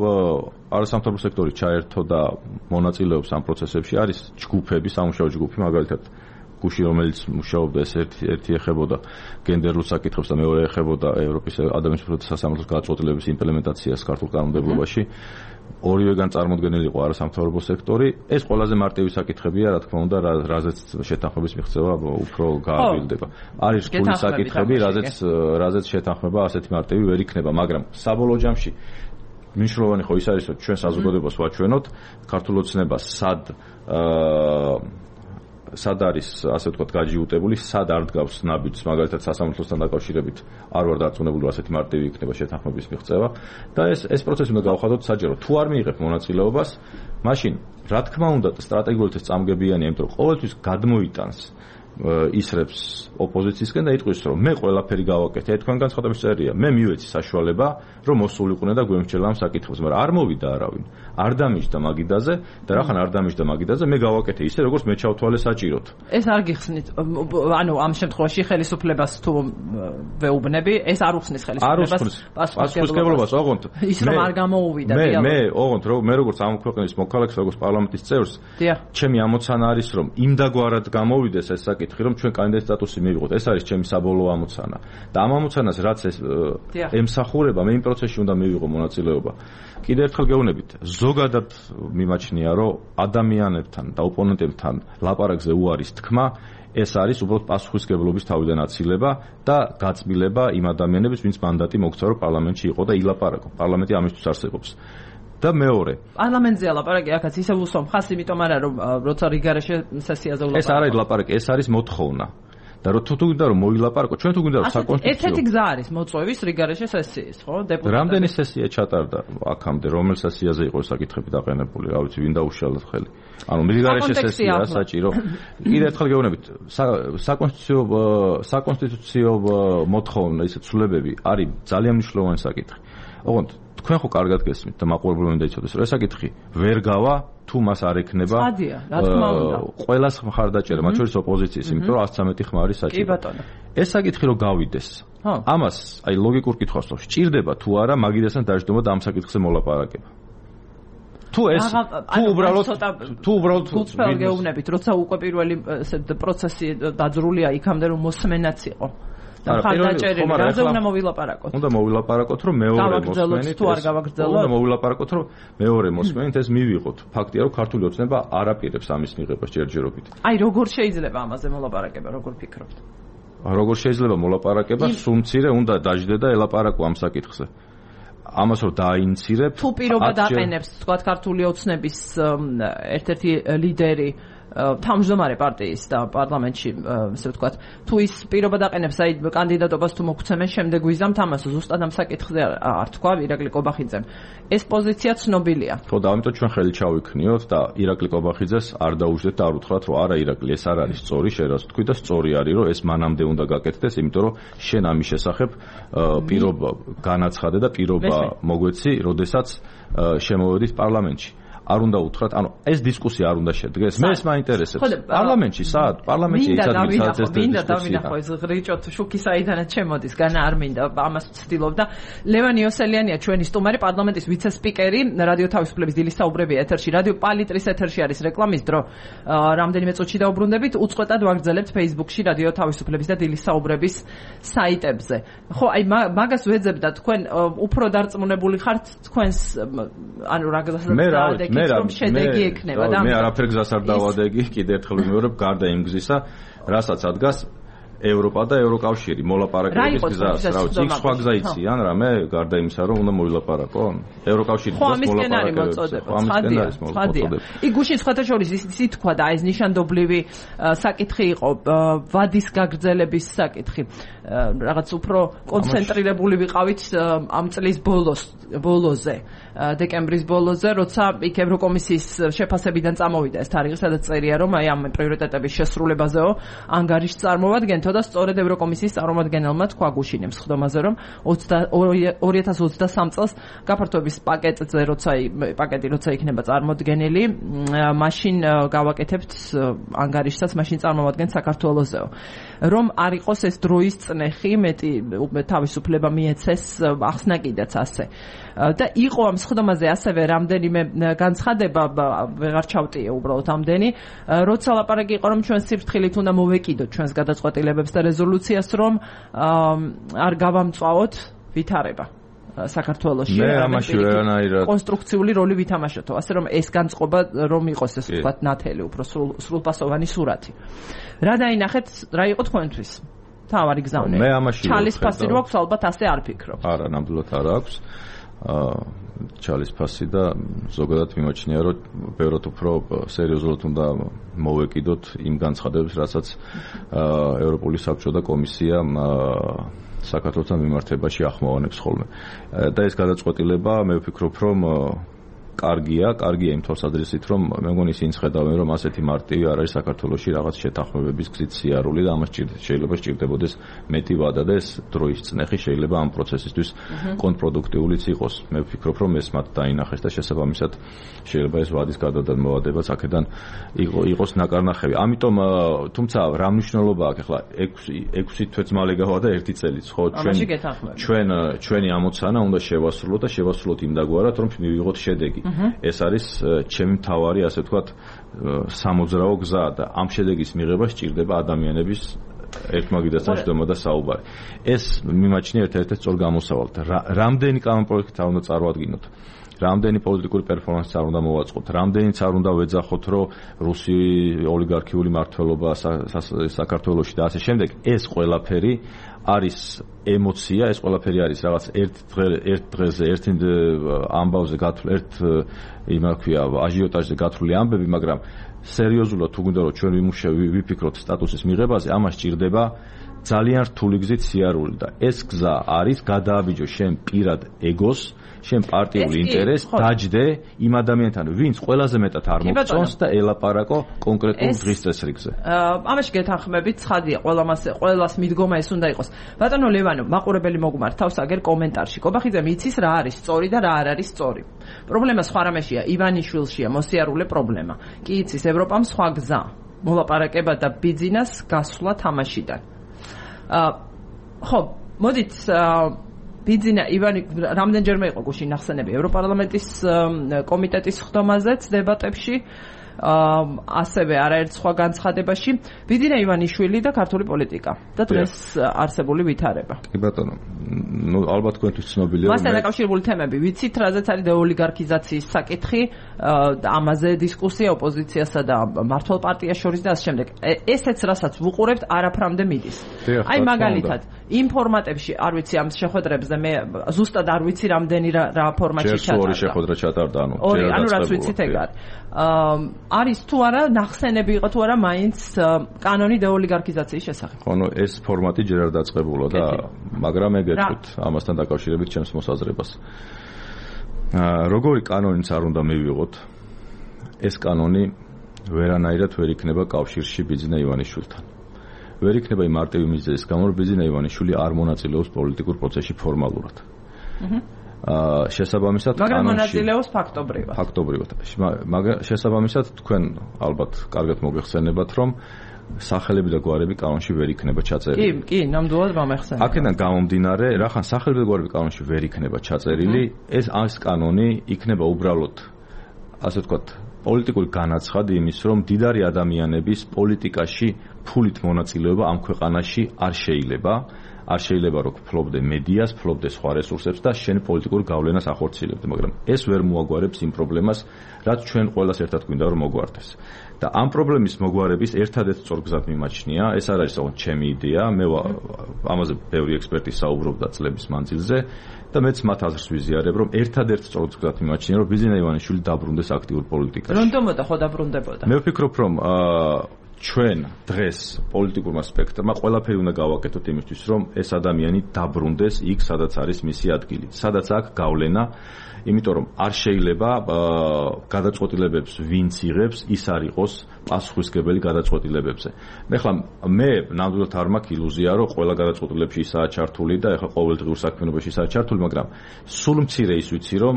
არასამთავრობო სექტორი ჩაერთო და მონაწილეობს ამ პროცესებში, არის ჯგუფები, სამუშაო ჯგუფი, მაგალითად გუში რომელიც მუშაობდა ეს ერთი ეხებოდა გენდერულ საკითხებს და მეორე ეხებოდა ევროპის ადამიანის უფლებათა სასამართლოს გადაწყვეტილების იმპლემენტაციას ქართულ კანონმდებლობაში. ორივეგან წარმოდგენილი იყო არასამთავრობო სექტორი. ეს ყველაზე მარტივი საკითხებია, რა თქმა უნდა, რაზეც შეთანხმების მიღწევა უფრო გააბილდება. არის რთული საკითხები, რაზეც შეთანხმება ასეთი მარტივი ვერ იქნება, მაგრამ საბოლოო ჯამში მნიშვნელოვანი ხო ის არის, რომ ჩვენ საზოგადოებას ვაჩვენოთ ქართულ ოცნებას სად არის, ასე ვთქვათ, გაჯიუტებული, სად არ დგავს ნაბიჯს, მაგალითად სასამართლოსთან დაკავშირებით არ ვარ დარწმუნებული, რომ ასეთი მარტივი იქნება შეთანხმების მიღწევა და ეს პროცესი უნდა გავხადოთ საჯარო. თუ არ მიიღებ მონაწილეობას, მაშინ რა თქმა უნდა სტრატეგიულად ეს წამგებიანია, იმიტომ რომ ყოველთვის გადმოიტანს ისრებს ოპოზიციისგან და იტყვის რომ მე ყველაფერი გავაკეთე, თქვენ განცხადების წერია, მე მივეცი საშუალება რომ მოსულიყვნენ და გვემრჩელა ამ საკითხებს, მაგრამ არ მოვიდა არავინ, არ დამიჯდა მაგიდაზე და რახან არ დამიჯდა მაგიდაზე, მე გავაკეთე ისე როგორც მე ჩავთვალე საჭიროდ. ეს არ გიხსნით, ანუ ამ შემთხვევაში ხელისუფლებას თუ ვეუბნები, ეს არ უხსნის ხელისუფლებას პასუხისმგებლობას, ოღონდ ის რომ არ გამოუვიდა მე ოღონდ მე როგორც ამ ქვეყნის მოქალაქეს, როგორც პარლამენტის წევრს, ჩემი ამოცანა არის რომ იმდაგვარად გამოვიდეს ეს საკითხი, რომ ჩვენ კანდიდატის სტატუსი მივიღოთ. ეს არის ჩემი საბოლოო ამოცანა. და ამ ამოცანას რაც ეს ემსახურება, მე იმ პროცესში უნდა მივიღო მონაწილეობა. კიდევ ერთხელ გეუბნებით, ზოგადად მიმაჩნია, რომ ადამიანებთან და ოპონენტებთან ლაპარაკზე უარის თქმა, ეს არის უბრალოდ პასუხისმგებლობის თავიდან აცილება და გაწმილება იმ ადამიანების, ვინც მანდატი მოგცა, რომ პარლამენტში იყო და ილაპარაკო. პარლამენტი ამისთვის არსებობს. და მეორე პარლამენტზე ლაპარაკი აქაც ისე უსვამ ხას, იმიტომ არა რომ როცა რიგარეშე სესიაზე ვლაპარაკო. ეს არ არის ლაპარაკი, ეს არის მოთხოვნა. და თუ გვინდა რომ მოვილაპარაკო, ჩვენ თუ გვინდა რომ საკონსტიტუციო ერთ-ერთი გზა არის მოწვევის რიგარეშე სესიის, ხო? დეპუტატები. რამდენი სესია ჩატარდა აქამდე, რომელ სესიაზე იყო საკითხები დაყენებული, რა ვიცი, ვინ დაუშალოთ ხელი. ანუ რიგარეშე სესია საჭირო. კიდევ ერთხელ გეუბნებით, საკონსტიტუციო მოთხოვნა, ისე ცვლილებები არის ძალიან მნიშვნელოვანი საკითხი. ოღონდ თქვენ ხო კარგად გესმით და მაყურებელმა უნდა იცოდეს, რომ ეს საკითხი ვერ გავა თუ მას არ ექნება ყველას მხარდაჭერა, მათ შორის ოპოზიციის, იმიტომ რომ 113 ხმარი საჭირო. კი ბატონო. ეს საკითხი რო გავიდეს, ამას აი ლოგიკურ კითხვას ვსვამ, სჭირდება თუ არა მაგიდასთან დაждდომა და ამ საკითხზე მოლაპარაკება. თუ უბრალოდ გეუბნებით, როცა უკვე პირველი პროცესი დაძრულია იქამდე რომ მოსმენაც იყო. რაზე უნდა მოვილაპარაკოთ? უნდა მოვილაპარაკოთ, რომ მეორე მოსმენით თუ არ გავაგრძელოთ? უნდა მოვილაპარაკოთ, რომ მეორე მოსმენით ეს მივიღოთ. ფაქტია, რომ ქართული ოცნება არ აპირებს ამის მიღებას ჯერჯერობით. აი, როგორ შეიძლება ამაზე მოლაპარაკება, როგორ ფიქრობთ? როგორ შეიძლება მოლაპარაკება? სუმცირე უნდა დაждდე და ელაპარაკო ამ საკითხზე. ამას რომ დააინიცირებ, თუ პირობა დაყენებს, თქვათ, ქართული ოცნების ერთ-ერთი ლიდერი თავმჯდომარე პარტიის და პარლამენტში, ასე ვთქვათ, თუ ის პირობა დაყენებს, აი კანდიდატობას თუ მოგცემენ, შემდეგ ვიზამთ ამას, ზუსტად ამ საკითხზე არ თქვა ირაკლი კობახიძემ. ეს პოზიცია ცნობილია. ხო, და ამიტომ ჩვენ ხელი ჩავიქნიოთ და ირაკლი კობახიძეს არ დაუждეთ და არ უთხრათ, რომ არა ირაკლი, ეს არ არის სწორი, შენ თქვი და სწორი არის, რომ ეს მანამდე უნდა გაკეთდეს, იმიტომ რომ შენ ამის შესახებ პირობა განაცხადე და პირობა მოგვეცი, როდესაც შემოვედით პარლამენტში. არ უნდა უთხრათ, ანუ ეს დისკუსია არ უნდა შედგეს. მე ეს მაინტერესებს. პარლამენტში საათ, პარლამენტში ის ადგილსაც ეს მინდა დავინახო ეს ღრიჭოთ შუქი საიდანაც შემოდის, განა არ მინდა ამას ვცდილობდა. ლევან იოსელიანია ჩვენი სტუმარი, პარლამენტის ვიცე-სპიკერი, რადიო თავისუფლების დილის საუბრებია ეთერში, რადიო პალიტრის ეთერში არის რეკლამის დრო. რამდენიმე წუთში დაუბრუნდებით, უწყვეტად ვაგრძელებთ Facebook-ში რადიო თავისუფლების და დილის საუბრების საიტებზე. ხო, აი მაგას ვეძებ და თქვენ უფრო დარწმუნებული ხართ თქვენს ანუ რა გზას მე არაფერ გზას არ დავადეგი, კიდევ ერთხელ ვიმეორებ, გარდა იმ გზისა, რასაც ადგას ევროპა და ევროკავშირი მოლაპარაკების გზას, რა ვიცი, იქ სხვა გზა იციან რამე, გარდა იმისა, რომ უნდა მოვილაპარაკონ. ევროკავშირის გზას მოლაპარაკებებს. ხადია. იქ გუშინ სხვათა შორის ისიც თქვა და ეს ნიშანდობლივი საკითხი იყო, ვადის გაგრძელების საკითხი. რაღაც უფრო კონცენტრირებული ვიყავით ამ წლის ბოლოზე, დეკემბრის ბოლოზე, როცა იქ ევროკომისიის შეფასებიდან წამოვიდა ეს თარიღი, სადაც წერია, რომ აი ამ პრიორიტეტების შესრულებაზეო ანგარიშს წარმოვადგენთ, გამოითო და სწორედ ევროკომისიის წარმომადგენელმა თქვა გუშინებს ხდომაზე, რომ 2023 წელს გაფართოების პაკეტი როცა იქნება წარმოდგენილი, მაშინ გავაკეთებთ ანგარიშსაც, მაშინ წარმოვადგენთ საქართველოსზეო. რომ არ იყოს ეს დროის წნეხი, მეტი თავისუფლება მიეცეს, ახსნა კიდეც ასე. და იყო ამ ხდომაზე ასევე რამდენიმე განცხადება, ვეღარ ჩავტიე უბრალოდ ამდენი, როცა ლაპარაკი იყო, რომ ჩვენ სიფრთხილით უნდა მოვეკიდოთ ჩვენს გადაწყვეტილებებს და რეზოლუციას, რომ არ გავამწვავოთ ვითარება საქართველოში. მე ამაში ვერანაირად კონსტრუქციული როლი ვითამაშოთ, ასე რომ ეს განწყობა რომ იყოს ეს ვთქვათ ნათელი, უფრო სრულპასოვანი სურათი. რა დაინახეთ, რა იყო თქვენთვის? თავარი გზავნე. მე ამაში ჩალის ფასი რო აქვს, ალბათ ასე არ ფიქრობ. არა, ნამდვილად არ აქვს. ჩალის ფასი და ზოგადად მიმაჩნია, რომ ბევრად უფრო სერიოზულად უნდა მოვეკიდოთ იმ განცხადებებს, რასაც ევროპული საბჭო და კომისია საქართველოსთან მიმართებაში ახმოვანებს ხოლმე. და ეს გადაწყვეტილება მე ვფიქრობ, რომ კარგია იმ თვალსაზრისით, რომ მე მგონი ისინი ხედავენ, რომ ასეთი მარტივი არ არის საქართველოში რაღაც შეთანხმებების გზით სიარული და ამას შეიძლება სჭირდებოდეს მეტი ვადა და ეს დროის წნეხი შეიძლება ამ პროცესისთვის კონტრპროდუქტიულიც იყოს. მე ვფიქრობ, რომ ეს მათ დაინახეს და შესაბამისად შეიძლება ეს ვადის გადადმოვადებაც აქედან იყოს ნაკარნახევი. ამიტომ თუმცა რა მნიშვნელობა აქვს ახლა 6 თვეც მალე გავა და 1 წელიც, ხო? ჩვენი ამოცანა უნდა შევასრულოთ და შევასრულოთ იმდაგვარად, რომ მივიღოთ შედეგი. ეს არის ჩემი მთავარი, ასე ვთქვათ, სამოძრაო გზა და ამ შედეგის მიღება სჭირდება ადამიანების ერთმაგიდასთან შედარება და საუბარი. ეს მიმაჩნია ერთ-ერთი სწორ გამოსავალთ. რამდენი კანონპროექტი უნდა წარმოადგინოთ? რამდენი პოლიტიკური პერფორმანსი არ უნდა მოვაწყოთ? რამდენიც არ უნდა ვეძახოთ, რომ რუსი ოლიგარქიული მმართველობა საქართველოში და ასე შემდეგ. ეს ყველაფერი არის ემოცია, ეს ყველაფერი არის რაღაც ერთ დღეზე, ერთ ამბავზე გათვლილი, ერთ აჟიოტაჟზე გათვლილი ამბები, მაგრამ სერიოზულად თუ გინდა რომ ჩვენ ვიფიქროთ სტატუსის მიღებაზე, ამას სჭირდება ძალიან რთული გზით სიარული და ეს გზა არის გადააბიჯო შენ პირად ეგოს, შენ პარტიულ ინტერესს, დაჯდე იმ ადამიანთან, ვინც ყველაზე მეტად არ მოგწონს და ელაპარაკო კონკრეტულ დღის წესრიგზე. ამაში გეთანხმებით, ცხადია, ყველას მიდგომა ეს უნდა იყოს. ბატონო ლევანო, მაყურებელი მოგმართავს აგერ კომენტარში. კობახიძე მიცის რა არის სწორი და რა არ არის სწორი. პრობლემა სხვა რამეშია, ივანიშვილშია მოსიარულე პრობლემა. კი იცის, ევროპამ სხვა გზა. მოლაპარაკება და ბიძინას გასვლა თამაშიდან. ხო, მოდით ბიძინა ივანი რამდენჯერმე იყო გუშინ ახსენები ევროპარლამენტის კომიტეტის ხდომაზეც დებატებში, ასევე არაერთ სხვა განცხადებაში. ბიძინა ივანიშვილი და ქართული პოლიტიკა და დღეს არსებული ვითარება. კი ბატონო, ნუ ალბათ თქვენთვის ცნობილია, მასთან დაკავშირებული თემები ვიცით, რაზეც არის დეოლიგარქიზაციის საკითხი, ამაზე დისკუსია ოპოზიციასა და მმართველ პარტიას შორის და ასე შემდეგ. ესეც რასაც ვუყურებთ, არაფრამდე მიდის. აი მაგალითად, იმ ფორმატებში არ ვიცი ამ შეხვედრებზე, მე ზუსტად არ ვიცი რამდენი რა ფორმატში ჩატარდა. ორი შეხვედრა ჩატარდა, ანუ რაც ვიცით ეგ არის თუ არა ნახსენები იყო თუ არა მაინც კანონი დეოლიგარქიზაციის შესახებ. ხო, ეს ფორმატი ჯერ არ დაწყებულა და მაგრამ ეგეთქვით ამასთან დაკავშირებით ჩემს მოსაზრებას. როგორი კანონიც არ უნდა მივიღოთ, ეს კანონი ვერანაირად ვერ იქნება კავშირში ბიძინა ივანიშვილთან. ვერ იქნება იმ მარტივი მიზეზის გამო, რომ ბიძინა ივანიშვილი არ მონაწილეობს პოლიტიკურ პროცესში ფორმალურად. შესაბამისად მაგრამ მონაწილეობს ფაქტობრივად. მაგრამ შესაბამისად თქვენ ალბათ კარგად მოგეხსენებათ, რომ სახელები და გვარები კანონში ვერ იქნება ჩაწერილი. კი, ნამდვილად მომეხსენებათ. აქედან გამომდინარე, რახან სახელები და გვარები კანონში ვერ იქნება ჩაწერილი, ეს კანონი იქნება უბრალოდ, ასე ვთქვათ, პოლიტიკური განაცხადი იმის, რომ მდიდარი ადამიანების პოლიტიკაში ფულით მონაწილეობა ამ ქვეყანაში არ შეიძლება. არ შეიძლება რომ ფლობდე მედიას, ფლობდე სხვა რესურსებს და შენ პოლიტიკურ გავლენას ახორციელებდე, მაგრამ ეს ვერ მოაგვარებს იმ პრობლემას, რაც ჩვენ ყველას ერთად გვინდა რომ მოგვარდეს. და ამ პრობლემის მოგვარების ერთადერთ სწორ გზად მიმაჩნია, ეს არ არის საკუთარ ჩემი იდეა, მე ამაზე ბევრი ექსპერტი საუბრობდა წლების მანძილზე და მეც მათ აზრს ვიზიარებ, რომ ერთადერთ სწორ გზად მიმაჩნია, რომ ბიძინა ივანიშვილი დაბრუნდეს აქტიურ პოლიტიკაში. რონდომოდა ხო დაბრუნდებოდა? მე ვფიქრობ, რომ ჩვენ დღეს პოლიტიკურმა სპექტრმა ყველაფერი უნდა გავაკეთოთ იმისთვის, რომ ეს ადამიანი დაბრუნდეს იქ, სადაც არის მისი ადგილი, სადაც აქვს გავლენა, იმიტომ რომ არ შეიძლება გადაწყვეტილებებს ვინც იღებს, ის არ იყოს პასუხისმგებელი გადაწყვეტილებებზე. ეხლა მე ნამდვილად არ მაქვს ილუზია, რომ ყველა გადაწყვეტილებებში ისაა ჩართული და ეხლა ყოველდღიურ საქმიანობაში ისაა ჩართული, მაგრამ სულ მცირე ის ვიცი, რომ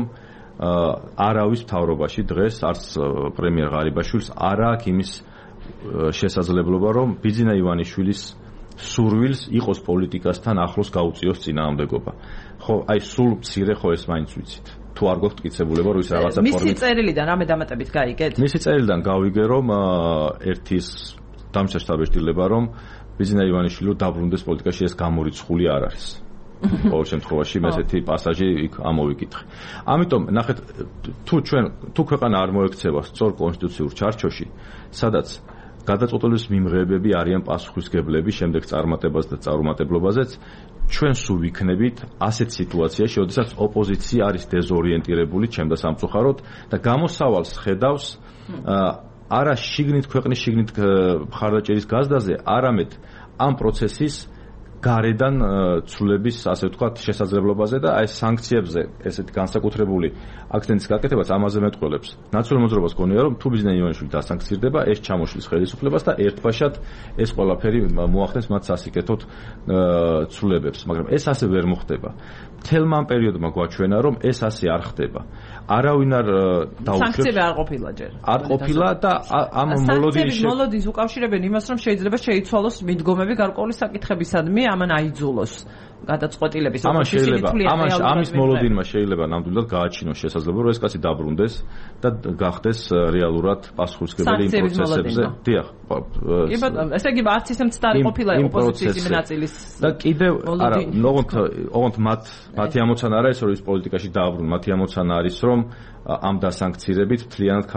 არავის მთავრობაში დღეს არც პრემიერ ღარიბაშვილს არ აქვს იმის შესაძლებლობა, რომ ბიძინა ივანიშვილის სურვილს იყოს პოლიტიკასთან ახლოს გაუწიოს წინააღმდეგობა. ხო, აი სულ მცირე ხო ეს მაინც ვიცით. თუ არ გვაქვს მტკიცებულება, რომ ის რაღაცა ფორმით. მისი წერილიდან რამე დამატებით გაიგეთ? მისი წერილიდან გავიგე, რომ ერთის დამჭერს დაბეჭდილება, რომ ბიძინა ივანიშვილი დაბრუნდეს პოლიტიკაში, ეს გამორიცხული არ არის. ყოველ შემთხვევაში მე ესეთი პასაჟი იქ ამოვიკითხე. ამიტომ ნახეთ, თუ ქვეყანა არ მოექცევა სწორ კონსტიტუციურ ჩარჩოში, სადაც გადაწყვეტილების მიმღებები არიან პასუხისმგებლები შემდეგ წარმატებას და წარუმატებლობაზეც, ჩვენ სულ ვიქნებით ასეთ სიტუაციაში, როდესაც ოპოზიცია არის დეზორიენტირებული ჩემდა სამწუხაროდ და გამოსავალს ხედავს არა შიგნით ქვეყნის შიგნით მხარდაჭერის გაზდაზე, არამედ ამ პროცესის გარედან ცვლილების, ასე ვთქვათ, შესაძლებლობაზე და აი სანქციებზე ესეთი განსაკუთრებული აქცენტის გაკეთებაც ამაზე მეტყველებს. ნაციონალურ მოძრაობას გონია, რომ თუ ბიძინა ივანიშვილი დასანქცირდება, ეს ჩამოშლის ხელისუფლებას და ერთბაშად ეს ყველაფერი მოახდენს მათ სასიკეთოდ ცვლილებებს, მაგრამ ეს ასე ვერ მოხდება. მთელმა ამ პერიოდმა გვაჩვენა, რომ ეს ასე არ ხდება. არავინ არ დაუშვებს. სანქციები არ ყოფილა ჯერ. არ ყოფილა და ამ მოლოდის უკავშირებენ იმას, რომ შეიძლება შეიცვალოს მიდგომები გარკვეული საკითხებისადმი, ამან აიძულოს გადაწყვეტილების. ამის მოლოდინმა შეიძლება ნამდვილად გააჩინოს შესაძლებლობა, რომ ეს კაცი დაბრუნდეს და გახდეს რეალურად პასუხისმგებელი იმ პროცესებზე. დიახ. კი ბატონო, ესე იგი არც ისე მცდარი ყოფილა ოპოზიციის იმ ნაწილის. და კიდევ არა, ოღონდ მათი ამოცანა არა ეს, რომ ის პოლიტიკაში დააბრუნონ, მათი ამოცანა არის, რომ ამ დასანქცირებით მთლიანად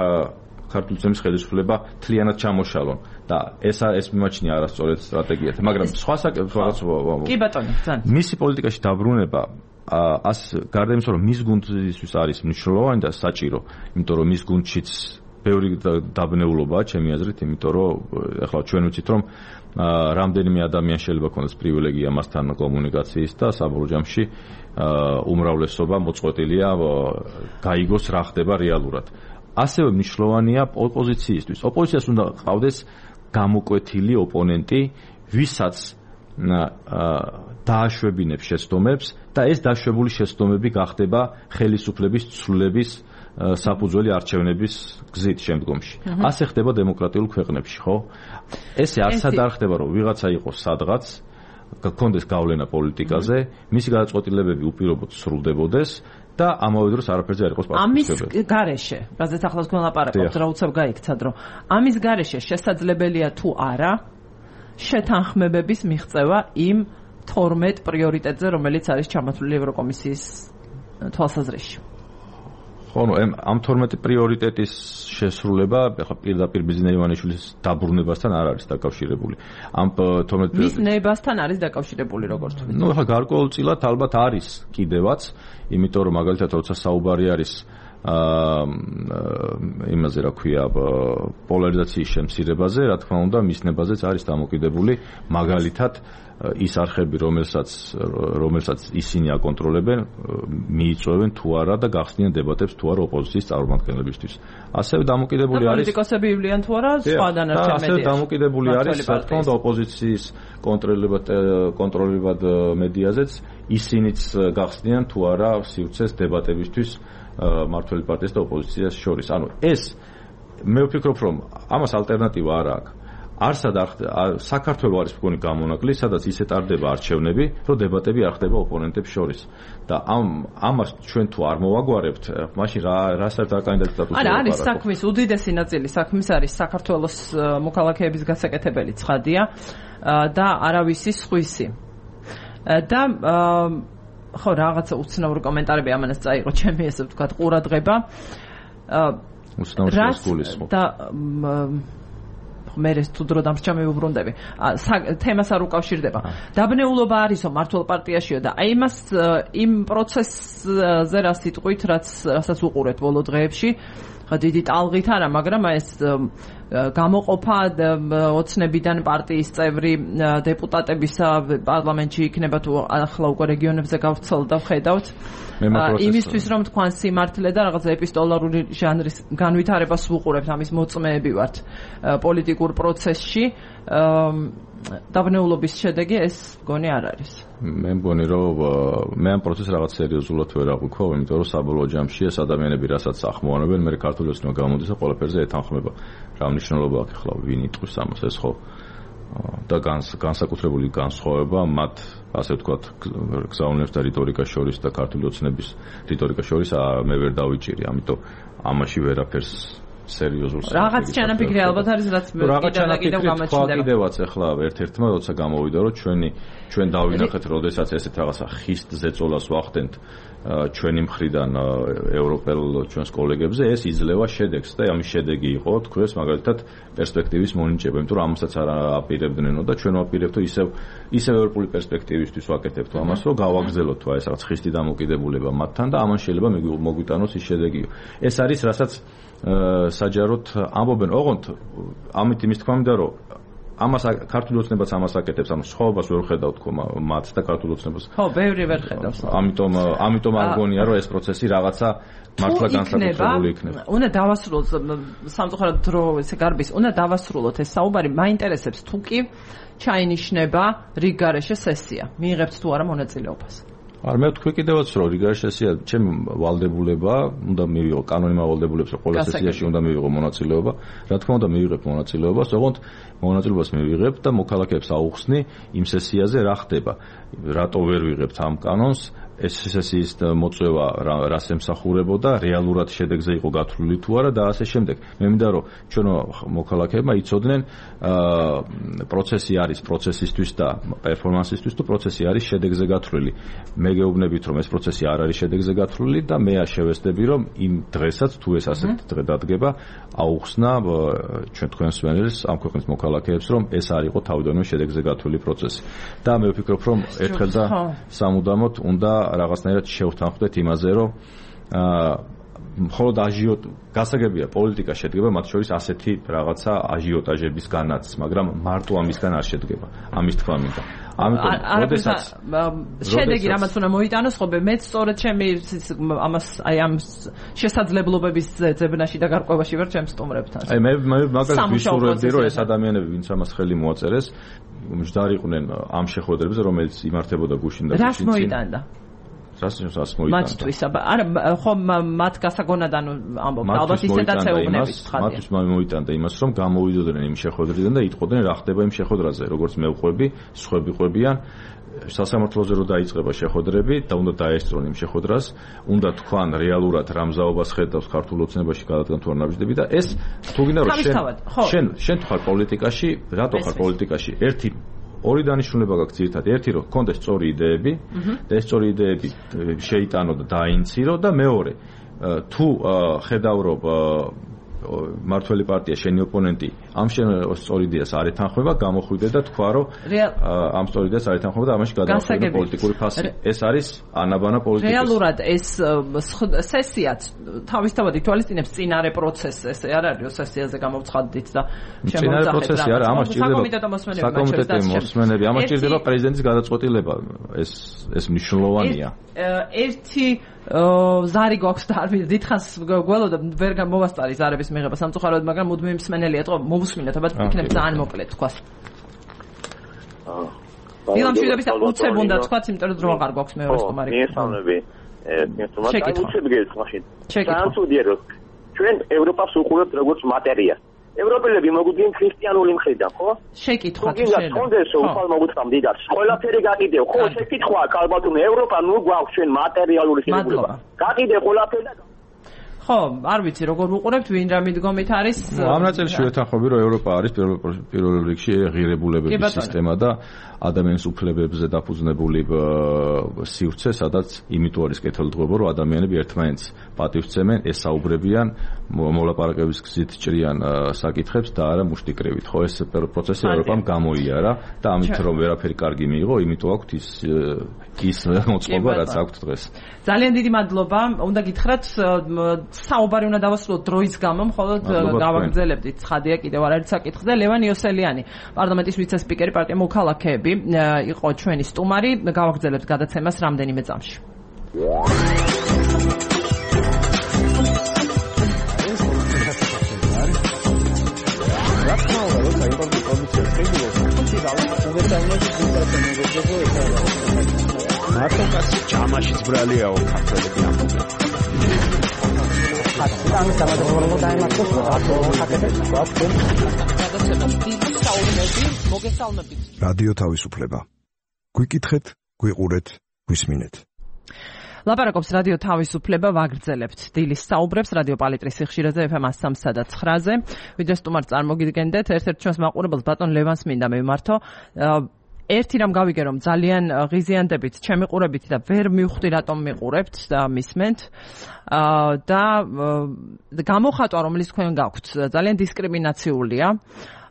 ქართული ძემის ხელისუფლება მთლიანად ჩამოშალონ და ეს მიმაჩნია არასწორად სტრატეგიად, მაგრამ სხვა კი ბატონო, ძალიან. მისი პოლიტიკაში დაბრუნება გარდა იმისა, რომ მის გუნდისთვის არის მნიშვნელოვანი და საჭირო, იმიტომ რომ მის გუნდშიც ბევრი დაბნეულობაა ჩემი აზრით, იმიტომ რომ ახლა ჩვენ ვიცით, რომ რამდენიმე ადამიანი შეიძლება ქონდეს პრივილეგია მასთან კომუნიკაციის და საბოლოო ჯამში უმრავლესობა მოწყვეტილია გაიგოს რა ხდება რეალურად. ასევე მნიშვნელოვანია ოპოზიციისთვის. ოპოზიციას უნდა ყავდეს გამოკვეთილი ოპონენტი, ვისაც დააშვებინებს შეცდომებს და ეს დაშვებული შეცდომები გახდება ხელისუფლების ცვლილების საფუძველი არჩევნების გზით შემდგომში. ასე ხდება დემოკრატიულ ქვეყნებში, ხო? ესე არცად არ ხდება, რომ ვიღაცა იყოს სადღაც, გქონდეს გავლენა პოლიტიკაზე, მისი გადაწყვეტილებები უპირობოდ სრულდებოდეს და ამავე დროს არაფერზე არ იყოს პასუხისმგებელი. ამის გარეშე, რაზეც ახლა თქვენ ლაპარაკობთ, რა უცებ გაიქცად, რომ ამის გარეშე შესაძლებელია თუ არა შეთანხმებების მიღწევა იმ 12 პრიორიტეტზე, რომელიც არის ჩამოთვლილი ევროკომისიის თვალსაზრისში. ხო, ამ 12 პრიორიტეტის შესრულება ახლა პირდაპირ ბიძინა ივანიშვილის დაბრუნებასთან არ არის დაკავშირებული. ამ 12 მის ნებასთან არის დაკავშირებული, როგორც ვთქვით. ნუ ახლა გარკვეულწილად ალბათ არის კიდევაც, იმიტომ რომ მაგალითად როცა საუბარი არის იმაზე რა ქვია პოლარიზაციის შემცირებაზე, რა თქმა უნდა, მის ნებაზეც არის დამოკიდებული მაგალითად ის არხები, რომელსაც ისინი აკონტროლებენ, მიიწვევენ თუ არა და გახსნიან დებატებს თუ არა ოპოზიციის წარმომადგენლებისთვის. ასევე დამოკიდებული არის პოლიტიკოსები ივლიან თუ არა სხვა დანარჩენ მედიაში. ასევე დამოკიდებული არის რა თქმა უნდა ოპოზიციის კონტროლებად მედიაზეც, ისინიც გახსნიან თუ არა სივრცეს დებატებისთვის მართველი პარტიას და ოპოზიციას შორის. ანუ ეს მე ვფიქრობ, რომ ამას ალტერნატივა არ აქვს. არსად საქართველოს არის მგონი გამონაკლი, სადაც ისე ტარდება არჩევნები, რომ დებატები არ ხდება ოპონენტებს შორის. და ამას ჩვენ თუ არ მოვაგვარებთ, მაშინ რა საერთოდ კანდიდატურას არა, არის საქმის უდიდესი ნაწილი საქმის არის საქართველოს მოქალაქეების გასაკეთებელი ცხადია და არავისი სხვისი. და ხო, რაღაცა უცნაური კომენტარები ამანაც წაიღო ჩემი ესე ვთქვათ ყურადღება. უცნაური გულისხმობ. და მე ეს თუ დრო დამრჩა მივუბრუნდები. თემას არ უკავშირდება. დაბნეულობა არისო მართლ პარტიაშიო და აი იმას იმ პროცესზე რა სიტყვით, რასაც უყურეთ ბოლო დღეებში, ხა დიდი ტალღით არა, მაგრამ ეს გამოყოფა ოცნებიდან პარტიის წევრი დეპუტატების პარლამენტში იქნება თუ ახლა უკვე რეგიონებზე გავრცელდა ვხედავთ იმისთვის რომ თქვენ სიმართლე და რაღაც ეპისტოლარული ჟანრის განვითარებას ვუყურებთ ამის მოწმეები ვართ პოლიტიკურ პროცესში დაბნეულობის შედეგი ეს მგონი არ არის მე მგონი რომ მე ამ პროცესს რაღაც სერიოზულად ვერ აღვიქვა იმიტომ რომ საბოლოო ჯამში ეს ადამიანები რასაც ახმოვანებენ მე ქართული ოცნება გამოდის და ყველაფერზე ეთანხმება რა მნიშვნელობა აქვს ახლა ვინ იტყვის ამას ეს ხო და განსაკუთრებული განსხვავება მათ ასე ვთქვათ გზავნილებს და რიტორიკას შორის და ქართული ოცნების რიტორიკას შორის მე ვერ დავიჭირი ამიტომ ამაში ვერაფერს სერიოზულს რაღაც ჩანაფიქრი ალბათ არის რაც კიდევ გამაჩნდება კიდევაც ახლა ერთ-ერთმა როცა გამოვიდა რომ ჩვენ დავინახეთ როდესაც ესეთ რაღაცა ხის ზეწოლას ვახდენთ ჩვენი მხრიდან ევროპელ ჩვენს კოლეგებზე ეს იძლევა შედეგს და ამის შედეგი იყო თქვენს მაგალითად პერსპექტივის მონიჭება იმიტომ რომ ამასაც არ აპირებდნენო და ჩვენ ვაპირებთ ისევ ევროპული პერსპექტივისთვის ვაკეთებთ ამას რომ გავაგრძელოთ თუ ეს რაღაც ხისტი დამოკიდებულება მათთან და ამან შეიძლება მოგვიტანოს ის შედეგი ეს არის რასაც საჯაროდ ამბობენ ოღონდ ამით იმის თქმა მინდა რომ ამას ქართული ოცნებაც ამას აკეთებს ამ სხვაობას ვერ ხედავთ თქო მათ და ქართული ოცნებას ხო ბევრი ვერ ხედავს ამიტომ არ გონია რომ ეს პროცესი რაღაცა მართლა განსაკუთრებული იქნება უნდა დავასრულოთ სამწუხაროდ დრო ესე გარბის უნდა დავასრულოთ ეს საუბარი მაინტერესებს თუ კი ჩაინიშნება რიგგარეშე სესია მიიღებთ თუ არა მონაწილეობას არ მე თქვი კიდევაც რომ რიგგარეშე სესია ჩემი ვალდებულება უნდა მივიღო კანონიმა ვალდებულებს რომ ყველა სესიაში უნდა მივიღო მონაწილეობა რა თქმა უნდა მივიღებ მონაწილეობას ოღონდ მონაწილეობას მივიღებ და მოქალაქეებს აუხსნი იმ სესიაზე რა ხდება რატო ვერ ვიღებთ ამ კანონს ეს სესიის მოწვევა რას ემსახურებოდა რეალურად შედეგზე იყო გათვლილი თუ არა და ასე შემდეგ მე მინდა რომ ჩვენ მოქალაქეებმა იცოდნენ პროცესი არის პროცესისთვის და პერფორმანსისთვის თუ პროცესი არის შედეგზე გათვლილი მე გეუბნებით რომ ეს პროცესი არ არის შედეგზე გათვლილი და მე შევესწრები რომ იმ დღესაც თუ ეს ასეთ დღე დადგება აუხსნა ჩვენ თქვენს ვენერს ამ ქვეყნის მოქალაქეებს რომ ეს არ იყო თავიდანვე შედეგზე გათვლილი პროცესი და მე ვფიქრობ რომ ერთხელ და სამუდამოდ უნდა რაღაცნაირად შევთანხმდეთ იმაზე, რომ მხოლოდ გასაგებია პოლიტიკა შედგება მათ შორის ასეთი რაღაცა აჟიოტაჟებისგანაც, მაგრამ მარტო ამისგან არ შედგება. ამის თქმა მინდა. ამიტომ როდესაც შედეგი რამაც უნდა მოიტანოს, ხო, მეც სწორედ ჩემი ამას აი ამ შესაძლებლობების ძებნაში და გარკვევაში ვარ ჩემს სტუმრებთან. აი მე მაგალითად ვისურვებდი, რომ ეს ადამიანები, ვინც ამას ხელი მოაწერეს, მჯდარიყვნენ ამ შეხვედრებზე, რომელიც იმართებოდა გუშინ და გუშინ. რას მოიტანდა? რას მოიტანდა? მათთვის, არა, ხო, მათ გასაგონად ამბობ, ალბათ ისედაც ეუბნებით ხალხი. მათთვის მოიტანდა იმას, რომ გამოვიდოდნენ იმ შეხვედრიდან და იტყოდნენ რა ხდება იმ შეხვედრაზე, როგორც მე ვყვები, სხვები ყვებიან. სასამართლოზე რო დაიწყება შეხვედრები და უნდა დაესწრონ იმ შეხვედრას, უნდა თქვან რეალურად რა მზაობას ხედავს ქართულ ოცნებაში გადადგან თუ არ ნაბიჯდები და ეს თუ გინდა რომ შენ თუ ხარ პოლიტიკაში, რატო ხარ პოლიტიკაში? ერთი ორი დანიშნულება გაქვს ძირითადად. ერთი რომ გქონდეს სწორი იდეები და ეს სწორი იდეები შეიტანო და დაინცირო და მეორე თუ ხედავ რომ მართველი პარტია შენი ოპონენტი ამ სწორ იდეას არ ეთანხმება, გამოხვიდე და თქვა რომ ამ სწორ იდეას არ ეთანხმება და ამაში გადავხდება პოლიტიკური ფასი. ეს არის ანაბანა პოლიტიკის. რეალურად ეს სესიაც თავისთავად ითვალისწინებს წინარე პროცესს, ესე არ არის სესიაზე გამოვცხადდით და წინარე პროცესი არა, ამას ჭირდება საკომიტეტო მოსმენები, ამას ჭირდება პრეზიდენტის გადაწყვეტილება. ეს მნიშვნელოვანია. ერთი ზარი გვაქვს და არ მინდა დიდხანს გველოდა ვერ მოვასწარი ზარების მიღება სამწუხაროდ მაგრამ მუდმივი მსმენელი ეთყო მოვუსმინოთ ალბათ იქნებ ძალიან მოკლედ თქვას დილამშვიდობის უცებ უნდა თქვათ იმიტომ რომ დრო აღარ გვაქვს მეორე სტუმარი მიესალმები უცებ გეს მაშინ განსუდიერო ჩვენ ევროპას უყურებთ როგორც მატერიას ევროპელები მოგვიდგენ ქრისტიანული მხრიდან, ხო? შეკითხვა შეიძლება. თუ გინდათ უხალ მოგუწყამ დიდას. ყველაფერი გაკიდევ, ხო, შეკითხვა, ალბათ ევროპა ნუ გვაქვს ჩვენ მატერიალური შეგულება. გაკიდე ყველაფერი და ხო, არ ვიცი როგორ უყურებთ, ვინ რა მიდგომით არის. ამ ნაწილში ვეთანხმები, რომ ევროპა არის პირველ რიგში ღირებულებების სისტემა და ადამიანის უფლებებზე დაფუძნებული სივრცე, სადაც იმიტომ არის კეთილდღეობა, რომ ადამიანები ერთმანეთს პატივს სცემენ, ესაუბრებიან, მოლაპარაკების გზით ჭრიან საკითხებს და არა მუშტიკრივით. ხო, ეს პროცესი ევროპამ გამოიარა და ამით რომ ვერაფერი კარგი მიიღო, იმიტომ აქვთ ის მოწყობა, რაც აქვთ დღეს. ძალიან დიდი მადლობა. უნდა გითხრათ საუბარი უნდა დავასრულოთ დროის გამო, მხოლოდ გავაგრძელებდით. ცხადია კიდევ არაერთი საკითხი და ლევან იოსელიანი, პარლამენტის ვიცე-სპიკერი, პარტია მოქალაქეები იყო ჩვენი სტუმარი. გავაგრძელებთ გადაცემას რამდენიმე წამში. მარტოკასი ჯამაშიც ბრალიაო ქართველები ამბობენ. რადიო თავისუფლება. გვიკითხეთ, გვიყურეთ, გვისმინეთ. ლაპარაკობს რადიო თავისუფლება, ვაგრძელებთ დილის საუბრებს რადიო პალიტრის სიხშირეზე FM 103 და 9-ზე. ვიდრე სტუმარს წარმოგიდგენდეთ, ერთ-ერთ ჩვენს მაყურებელს ბატონ ლევანს მინდა მივმართო. ერთი რამ გავიგე, რომ ძალიან ღიზიანდებით ჩემი ყურებით და ვერ მივხვდი რატომ მიყურებთ და მისმენთ და გამოხატვა რომელიც თქვენ გაქვთ ძალიან დისკრიმინაციულია.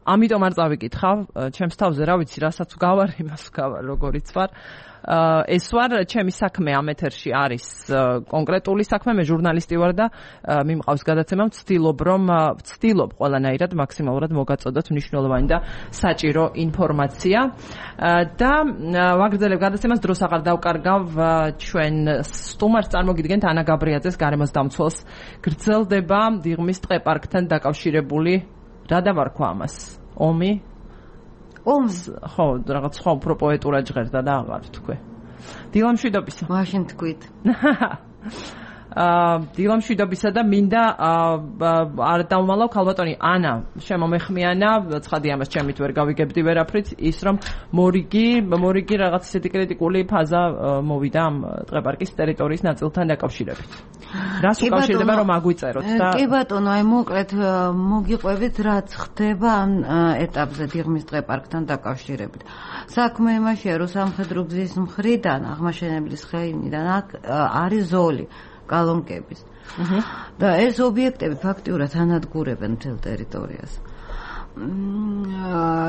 ამიტომ არ წავიკითხავ ჩემს თავზე, რა ვიცი, რასაც გავარ, იმას გავარ, როგორიც ვარ. ეს ვარ, ჩემი საქმე ამ ეთერში არის კონკრეტული საქმე, მე ჟურნალისტი ვარ და მიმყავს გადაცემა, ვცდილობ ყველანაირად მაქსიმალურად მოგაწოდოთ მნიშვნელოვანი და საჭირო ინფორმაცია და ვაგრძელებ გადაცემას, დროს აღარ დავკარგავ ჩვენ სტუმარს წარმოგიდგენთ ანა გაბრიაძეს, გარემოს დამცველს. გრძელდება დიღმის ტყეპარკთან დაკავშირებული რა დავარქვა ამას? ომი? ომს, ხო, რაღაც სხვა უფრო პოეტურად ჟღერდა და აღარ თქვი. დილამშვიდობისა. მაშინ თქვით. დილამშვიდობისა და მინდა არ დავმალავ ქალბატონი ანა, შემომეხმიანა, ცხადი ამას ჩემით ვერ გავიგებდი ვერაფრით, ის რომ მორიგი რაღაც ისეთი კრიტიკული ფაზა მოვიდა ამ ტყეპარკის ტერიტორიის ნაწილთან დაკავშირებით. რას უკავშირდება რომ აგვიწეროთ და კი ბატონო, აი მოკლედ მოგიყვებით რაც ხდება ამ ეტაპზე დიღმის ტყეპარკთან დაკავშირებით. საქმე იმაშია, რომ სამხედრო გზის მხრიდან, აღმაშენებლის ხეივნიდან არის ზოლი კალონკების. და ეს ობიექტები ფაქტიურად ანადგურებენ მთელ ტერიტორიას.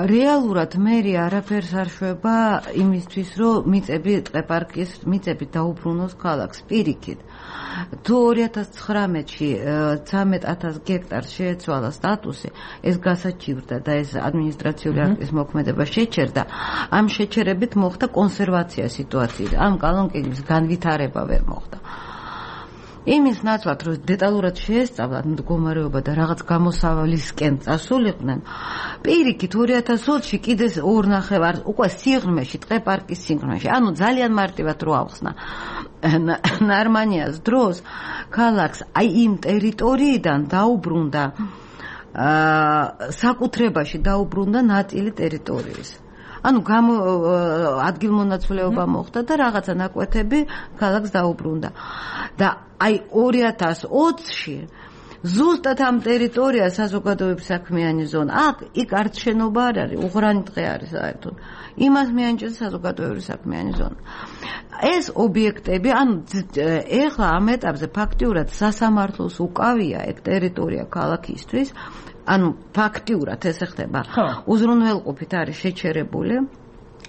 რეალურად მერი არაფერს არ შვება იმისთვის, რომ ტყეპარკის მიწები დაუბრუნოს ქალაქს პირიქით. თუ 2019-ში 13,000 გექტარს შეეცვალა სტატუსი, ეს გასაჩივრდა და ეს ადმინისტრაციული აქტის მოქმედება შეჩერდა, ამ შეჩერებით მოხდა კონსერვაცია სიტუაციის, ამ კალონკების განვითარება ვერ მოხდა. იმის ნაცვლად, რომ დეტალურად შეესწავლათ მდგომარეობა და რაღაც გამოსავალისკენ წასულიყვნენ, პირიქით 2020-ში კიდე 2.5 უკვე სიღრმეში, ტყეპარკის სიღრმეში, ანუ ძალიან მარტივად რო ავხსნა ნარმანიას დროს, ქალაქს აი იმ ტერიტორიიდან დაუბრუნდა საკუთრებაში დაუბრუნდა ნაწილი ტერიტორიის. ანუ ადგილმონაცვლეობა მოხდა და რაღაცა ნაკვეთები ქალაქს დაუბრუნდა. და აი 2020-ში ზუსტად ამ ტერიტორიას საზოგადოების საქმიანი ზონა. იქ არც შენობა არ არის, უღრანი ტყე არის საერთოდ. იმას მიანჭეს საზოგადოების საქმიანი ზონა. ეს ობიექტები, ანუ ეხლა ამ ეტაპზე ფაქტიურად სასამართლოს უკავია ეგ ტერიტორია ქალაქისთვის. ანუ ფაქტიურად ეს ხდება. უზრუნველყოფით არის შეჩერებული.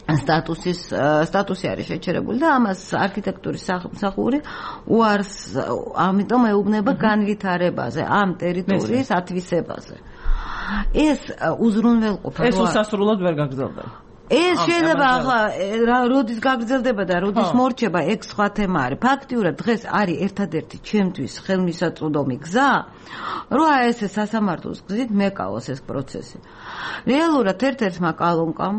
სტატუსი არის შეჩერებული და ამას არქიტექტურის სამსახური უარს, ამიტომ ეუბნება განვითარებაზე, ამ ტერიტორიის ათვისებაზე. ეს უზრუნველყოფა ეს უსასრულოდ ვერ გაგრძელდება. ეს შეიძლება ახლა როდის გაგრძელდება და როდის მორჩება, ეგ სხვა თემა არის. ფაქტიურად დღეს არის ერთადერთი ჩემთვის ხელმისაწვდომი გზა, რომ ეს სასამართლოს გზით მეკავოს ეს პროცესი. რეალურად ერთ-ერთმა კალონკამ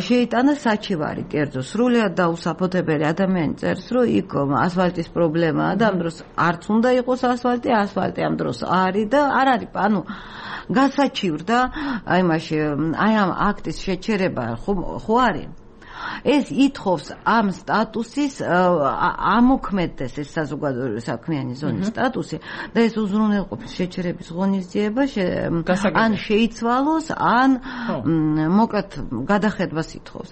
შეიტანა საჩივარი კერძო, სრულიად დაუსაფუთებელი ადამიანი წერს, რომ იქ ასფალტის პრობლემაა და ამ დროს არც უნდა იყოს ასფალტი ამ დროს არის და არ არის, ანუ გასაჩივრდა აი ამ აქტის შეჩერება ხო არის. ეს ითხოვს ამ სტატუსის ამოქმედდეს ეს საზოგადოების საქმიანი ზონის სტატუსი და ეს უზრუნველყოფის შეჩერების ღონისძიება ან შეიცვალოს, ან მოკლედ გადახედვას ითხოვს.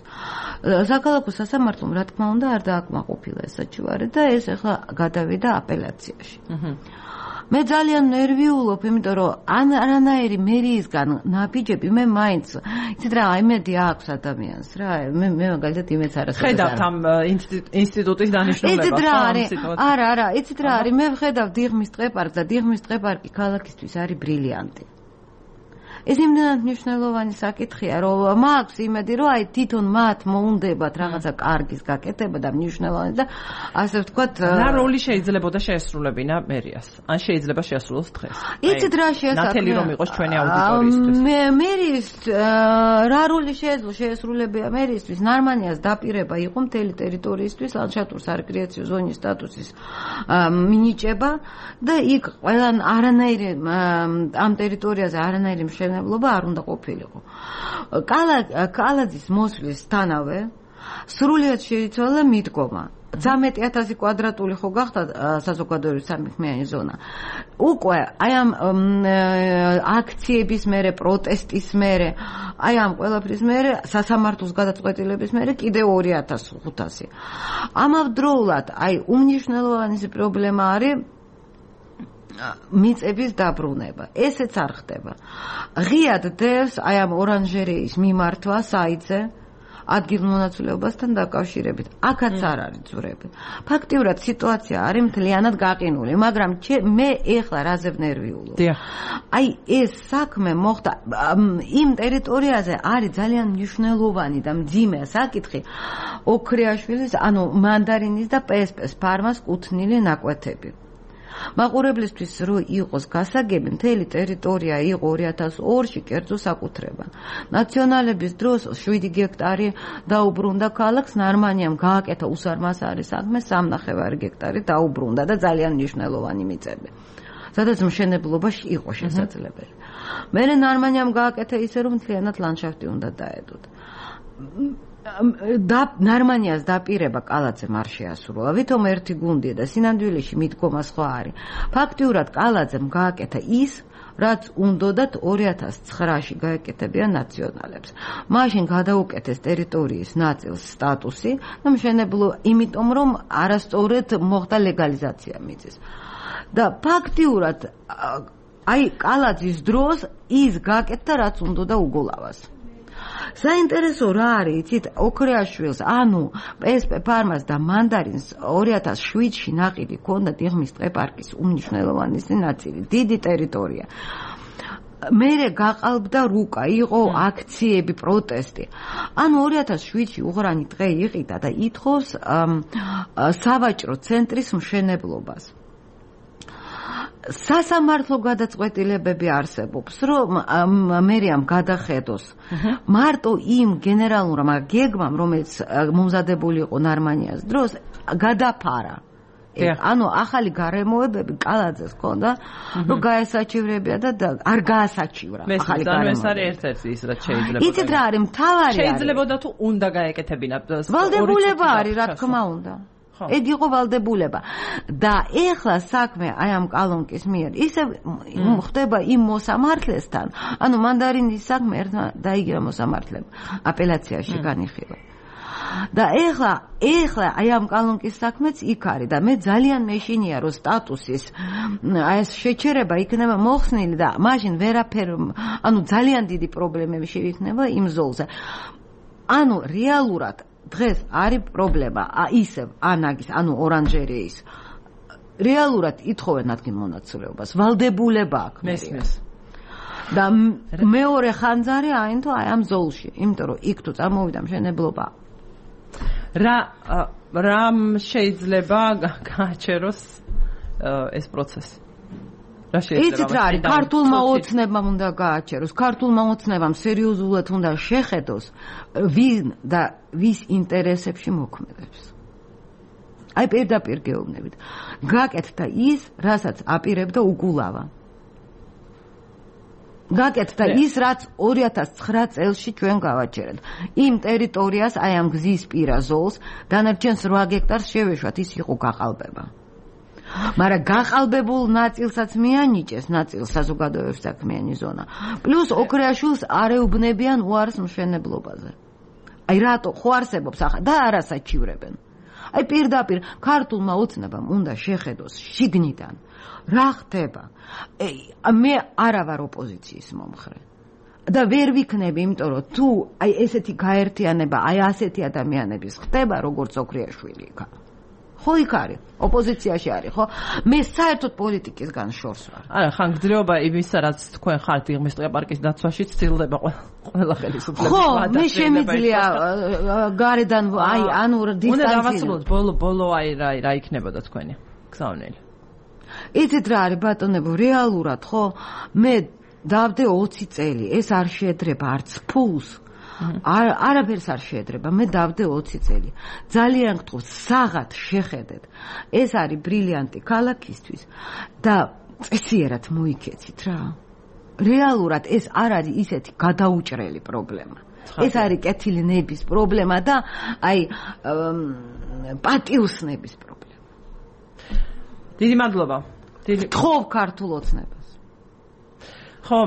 საქალაქო სასამართლომ რა თქმა უნდა არ დააკმაყოფილა ეს საჩივარი და ეს ახლა გადავიდა აპელაციაში. მე ძალიან ნერვიულობ, იმიტომ რომ არანაირი მერიისგან ნაბიჯები მე მაინც იცით რა, იმედი აქვს ადამიანს რა, მე მაგალითად იმეც არასოდეს ხედავთ ამ ინსტიტუტის დანიშნულებას. იცით რა არის? არა, იცით რა არის? მე ვხედავ დიღმის ტყეპარკს და დიღმის ტყეპარკი ქალაქისთვის არის ბრილიანტი. ეს იმდენად მნიშვნელოვანი საკითხია, რომ მაქვს იმედი, რომ აი თვითონ მათ მოუნდებათ რაღაცა კარგის გაკეთება და მნიშვნელოვანი და ასე ვთქვათ, რა როლი შეიძლებოდა შეესრულებინა მერიას? ან შეიძლება შეასრულოს დღეს? იცით რა შეასრულებინა? ნათელი რომ იყოს ჩვენი აუდიტორიისთვის. მერის რა როლი შეესრულებია მერიისთვის? ნარმანიას დაპირება იყო მთელი ტერიტორიისთვის ლანდშაფტურ სარეკრეაციო ზონის სტატუსის მინიჭება და იქ ყველა არანაირი ამ ტერიტორიაზე არანაირი მშენებლობა არ უნდა ყოფილიყო. კალაძის მოსვლისთანავე სრულიად შეიცვალა მიდგომა. 13,000 კვადრატული ხო გახდა საზოგადოების სამექმიანი ზონა. უკვე აი ამ აქციების მერე, პროტესტის მერე, აი ამ ყველაფრის მერე, სასამართლოს გადაწყვეტილების მერე კიდევ 2,500. ამავდროულად აი უმნიშვნელოვანესი პრობლემა არის მიწების დაბრუნება. ესეც არ ხდება. ღიად დევს აი ამ ორანჟერეის მიმართვა საიტზე ადგილმონაცვლეობასთან დაკავშირებით. აქაც არ არის ძვრები. ფაქტიურად სიტუაცია არის მთლიანად გაყინული, მაგრამ მე ეხლა რაზე ვნერვიულობ. აი ეს საქმე მოხდა იმ ტერიტორიაზე არის ძალიან მნიშვნელოვანი და მძიმე საკითხი ოქრიაშვილის, ანუ მანდარინის და პესპეს ფარმას კუთვნილი ნაკვეთები. მაყურებლისთვის რო იყოს გასაგები, მთელი ტერიტორია იყო 2002-ში კერძო საკუთრება. ნაციონალების დროს 7 გექტარი დაუბრუნდა ქალაქს, ნარმანიამ გააკეთა უსარმასარი საქმე, 3.5 გექტარი დაუბრუნდა და ძალიან მნიშვნელოვანი მიწები. სადაც მშენებლობა იყო შესაძლებელი. მერე ნარმანიამ გააკეთა ისე, რომ მთლიანად ლანდშაფტი უნდა დაედოთ. ნარმანიას დაპირება კალაძემ არ შეასრულა, ვითომ ერთი გუნდია და სინამდვილეში მიდგომა სხვა არის. ფაქტიურად კალაძემ გააკეთა ის, რაც უნდათ 2009-ში გაეკეთებიან ნაციონალებს. მაშინ გადაუკეთეს ტერიტორიის ნაწილს სტატუსი და მშენებლობა, იმიტომ რომ არასწორად მოხდა ლეგალიზაცია მიწის. და ფაქტიურად აი კალაძის დროს ის გააკეთა, რაც უნდა უგულავას. საინტერესო რა არის, იცით, ოქრიაშვილს, ანუ პესპე ფარმას და მანდარინს 2007-ში ნაყიდი ჰქონდა დიღმის ტყეპარკის უმნიშვნელოვანესი ნაწილი, დიდი ტერიტორია. მერე გაყალბდა რუკა, იყო აქციები, პროტესტი. ანუ 2007-ში უღრანი დღე იყიდა და ითხოვს სავაჭრო ცენტრის მშენებლობას. სასამართლო გადაწყვეტილებები არსებობს, რომ მერიამ გადახედოს მარტო იმ გენერალურმა გეგმამ, რომელიც მომზადებული იყო ნარმანიას დროს, გადაფარა. ანუ ახალი გარემოებები კალაძეს ჰქონდა, რომ გაესაჩივრებია და არ გაასაჩივრა ახალი გარემოებები. ეს არის ერთ-ერთი ის, რაც შეიძლება. იცით რა არის, მთავარი არის. შეიძლებოდა თუ უნდა გაეკეთებინა. ვალდებულება არის, რა თქმა უნდა. ეგ იყო ვალდებულება და ეხლა საქმე აი ამ კალონკის მიერ ისე ხდება იმ მოსამართლესთან, ანუ მანდარინის საქმე ერთმა დაიგერა მოსამართლემ აპელაციაში განიხილვა. და ეხლა აი ამ კალონკის საქმეც იქ არის და მე ძალიან მეშინია რომ სტატუსის აი ეს შეჩერება იქნება მოხსნილი და მაშინ ვერაფერ, ანუ ძალიან დიდი პრობლემები შეიქმნება იმ ზოლზე. ანუ რეალურად დღეს არის პრობლემა ისევ ანაგის, ანუ ორანჟერეის. რეალურად ითხოვენ ადგილმონაცვლეობას, ვალდებულება აქვს. მესმის. და მეორე ხანძარი აინთო აი ამ ზოლში, იმიტომ რომ იქ თუ წარმოვიდა მშენებლობა. რამ შეიძლება გააჩეროს ეს პროცესი? იცით რა არის, ქართულმა ოცნებამ უნდა გააჩეროს, ქართულმა ოცნებამ სერიოზულად უნდა შეხედოს ვინ და ვის ინტერესებში მოქმედებს. აი პირდაპირ გეუბნებით. გაკეთდა ის, რასაც აპირებდა უგულავა. გაკეთდა ის, რაც 2009 წელში ჩვენ გავაჩერეთ. იმ ტერიტორიას, აი ამ გზის პირა ზოლს, დანარჩენს 8 გექტარს შევეშვათ, ის იყო გაყალბება. მაგრამ გაყალბებულ ნაწილსაც მიანიჭეს, ნაწილს საზოგადოების საქმიანი ზონა. პლუს ოქრიაშვილს არ ეუბნებიან უარს მშენებლობაზე. აი რატო ხო არსებობს ახლა და არასაჩივრებენ. აი პირდაპირ ქართულმა ოცნებამ უნდა შეხედოს შიგნიდან რა ხდება. მე არა ვარ ოპოზიციის მომხრე. და ვერ ვიქნები, იმიტომ რომ თუ აი ესეთი გაერთიანება, აი ასეთი ადამიანების ხდება, როგორც ოქრიაშვილი იქა. ხო იქ არის, ოპოზიციაში არის, ხო? მე საერთოდ პოლიტიკისგან შორს ვარ. არა, ხანგრძლივობა იმისა, რაც თქვენ ხართ იღმის პარკის დაცვაში, ცდილდება ყველა ხელისუფლების ხო, მე შემიძლია გარედან აი ანუ დისტანცია. უნდა დავასრულოთ ბოლო აი რა იქნებოდა თქვენი გზავნილი. იცით რა არის ბატონებო, რეალურად ხო? მე დავდე 20 წელი, ეს არ შეედრება არც ფულს. არაფერს არ შეედრება, მე დავდე 20 წელი. ძალიან გთხოვთ, საღად შეხედეთ. ეს არის ბრილიანტი ქალაქისთვის და წესიერად მოიქეცით რა. რეალურად ეს არ არის ისეთი გადაუჭრელი პრობლემა. ეს არის კეთილი ნების პრობლემა და აი პატიოსნების პრობლემა. დიდი მადლობა. გთხოვ ქართულ ოცნებას. ხო,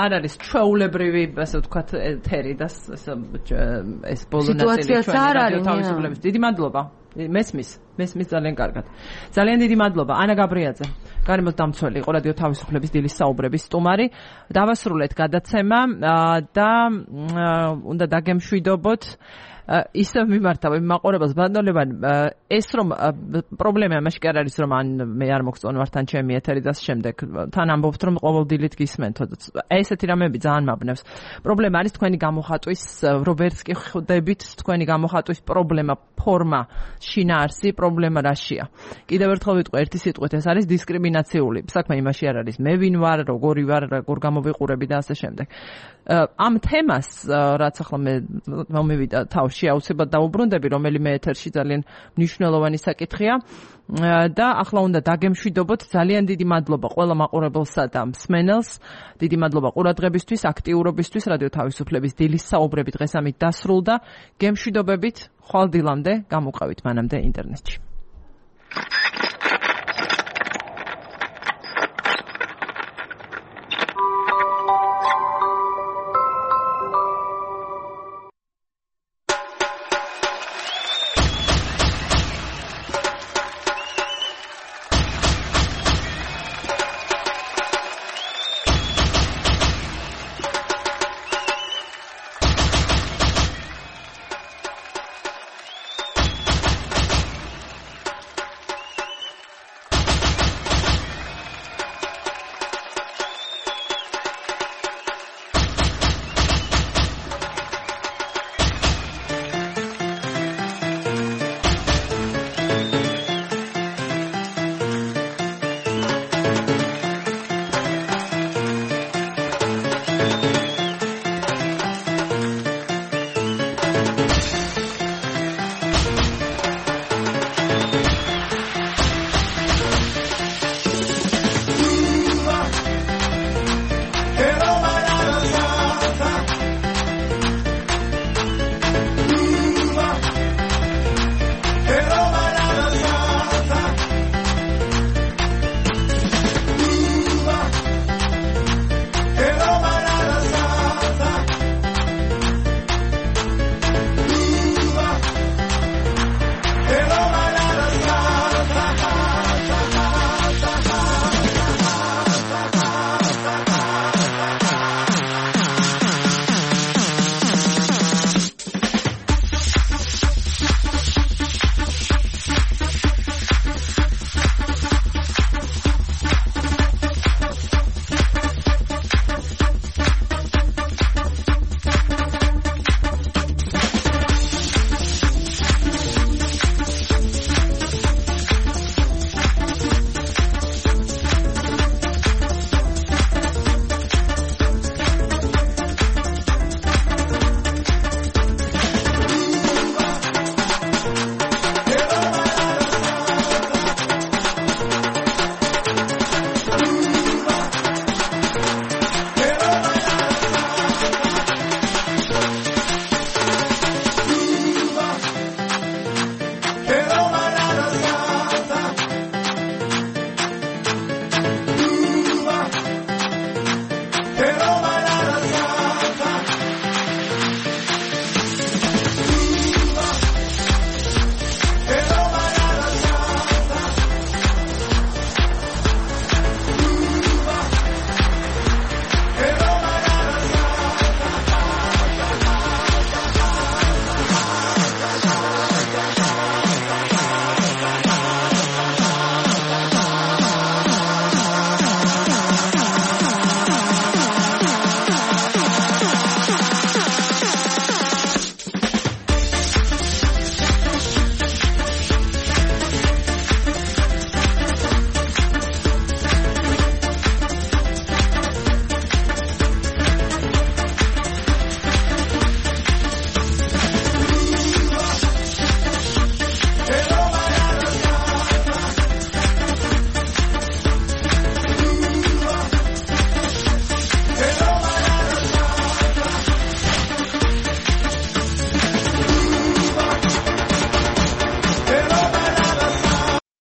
არ არის ჩვეულებრივი, ასე ვთქვათ, ეთერი და ეს ბოლო ნაწილი ჩვენი თავისუფლების. დიდი მადლობა. მესმის ძალიან კარგად. ძალიან დიდი მადლობა. ანა გაბრიაძე, გარემოსდამცველი იყო რადიო თავისუფლების დილის საუბრების სტუმარი. დავასრულეთ გადაცემა და უნდა დაგემშვიდობოთ ისევ მიმართავ მაყურებელს ბატონებან ეს რომ პრობლემა მაშინ კი არ არის რომ მე არ მოგწონვართ ან ჩემი ეთერი და შემდეგ თან ამბობთ რომ ყოველდილით გისმენთ ესეთი რამეები ძალიან მაბნევს პრობლემა არის თქვენი გამოხატვის რობერტს კი ხვდებით თქვენი გამოხატვის პრობლემა ფორმა შინაარსი პრობლემა რაშია კიდევ ერთხელ ვიტყვი ერთი სიტყვით ეს არის დისკრიმინაციული საქმე იმაში არ არის მე ვინ ვარ როგორი ვარ როგორ გამოვიყურები და ასე შემდეგ ამ თემას რაც ახლა მე მომივიდა თავში აუცილებლად დაუბრუნდები რომელიმე ეთერში ძალიან მნიშვნელოვანი საკითხია და ახლა უნდა დაგემშვიდობოთ ძალიან დიდი მადლობა ყველა მაყურებელსა და მსმენელს დიდი მადლობა ყურადღებისთვის აქტიურობისთვის რადიო თავისუფლების დილის საუბრები დღეს ამით დასრულდა გემშვიდობებით ხვალ დილამდე გამოვყავით მანამდე ინტერნეტში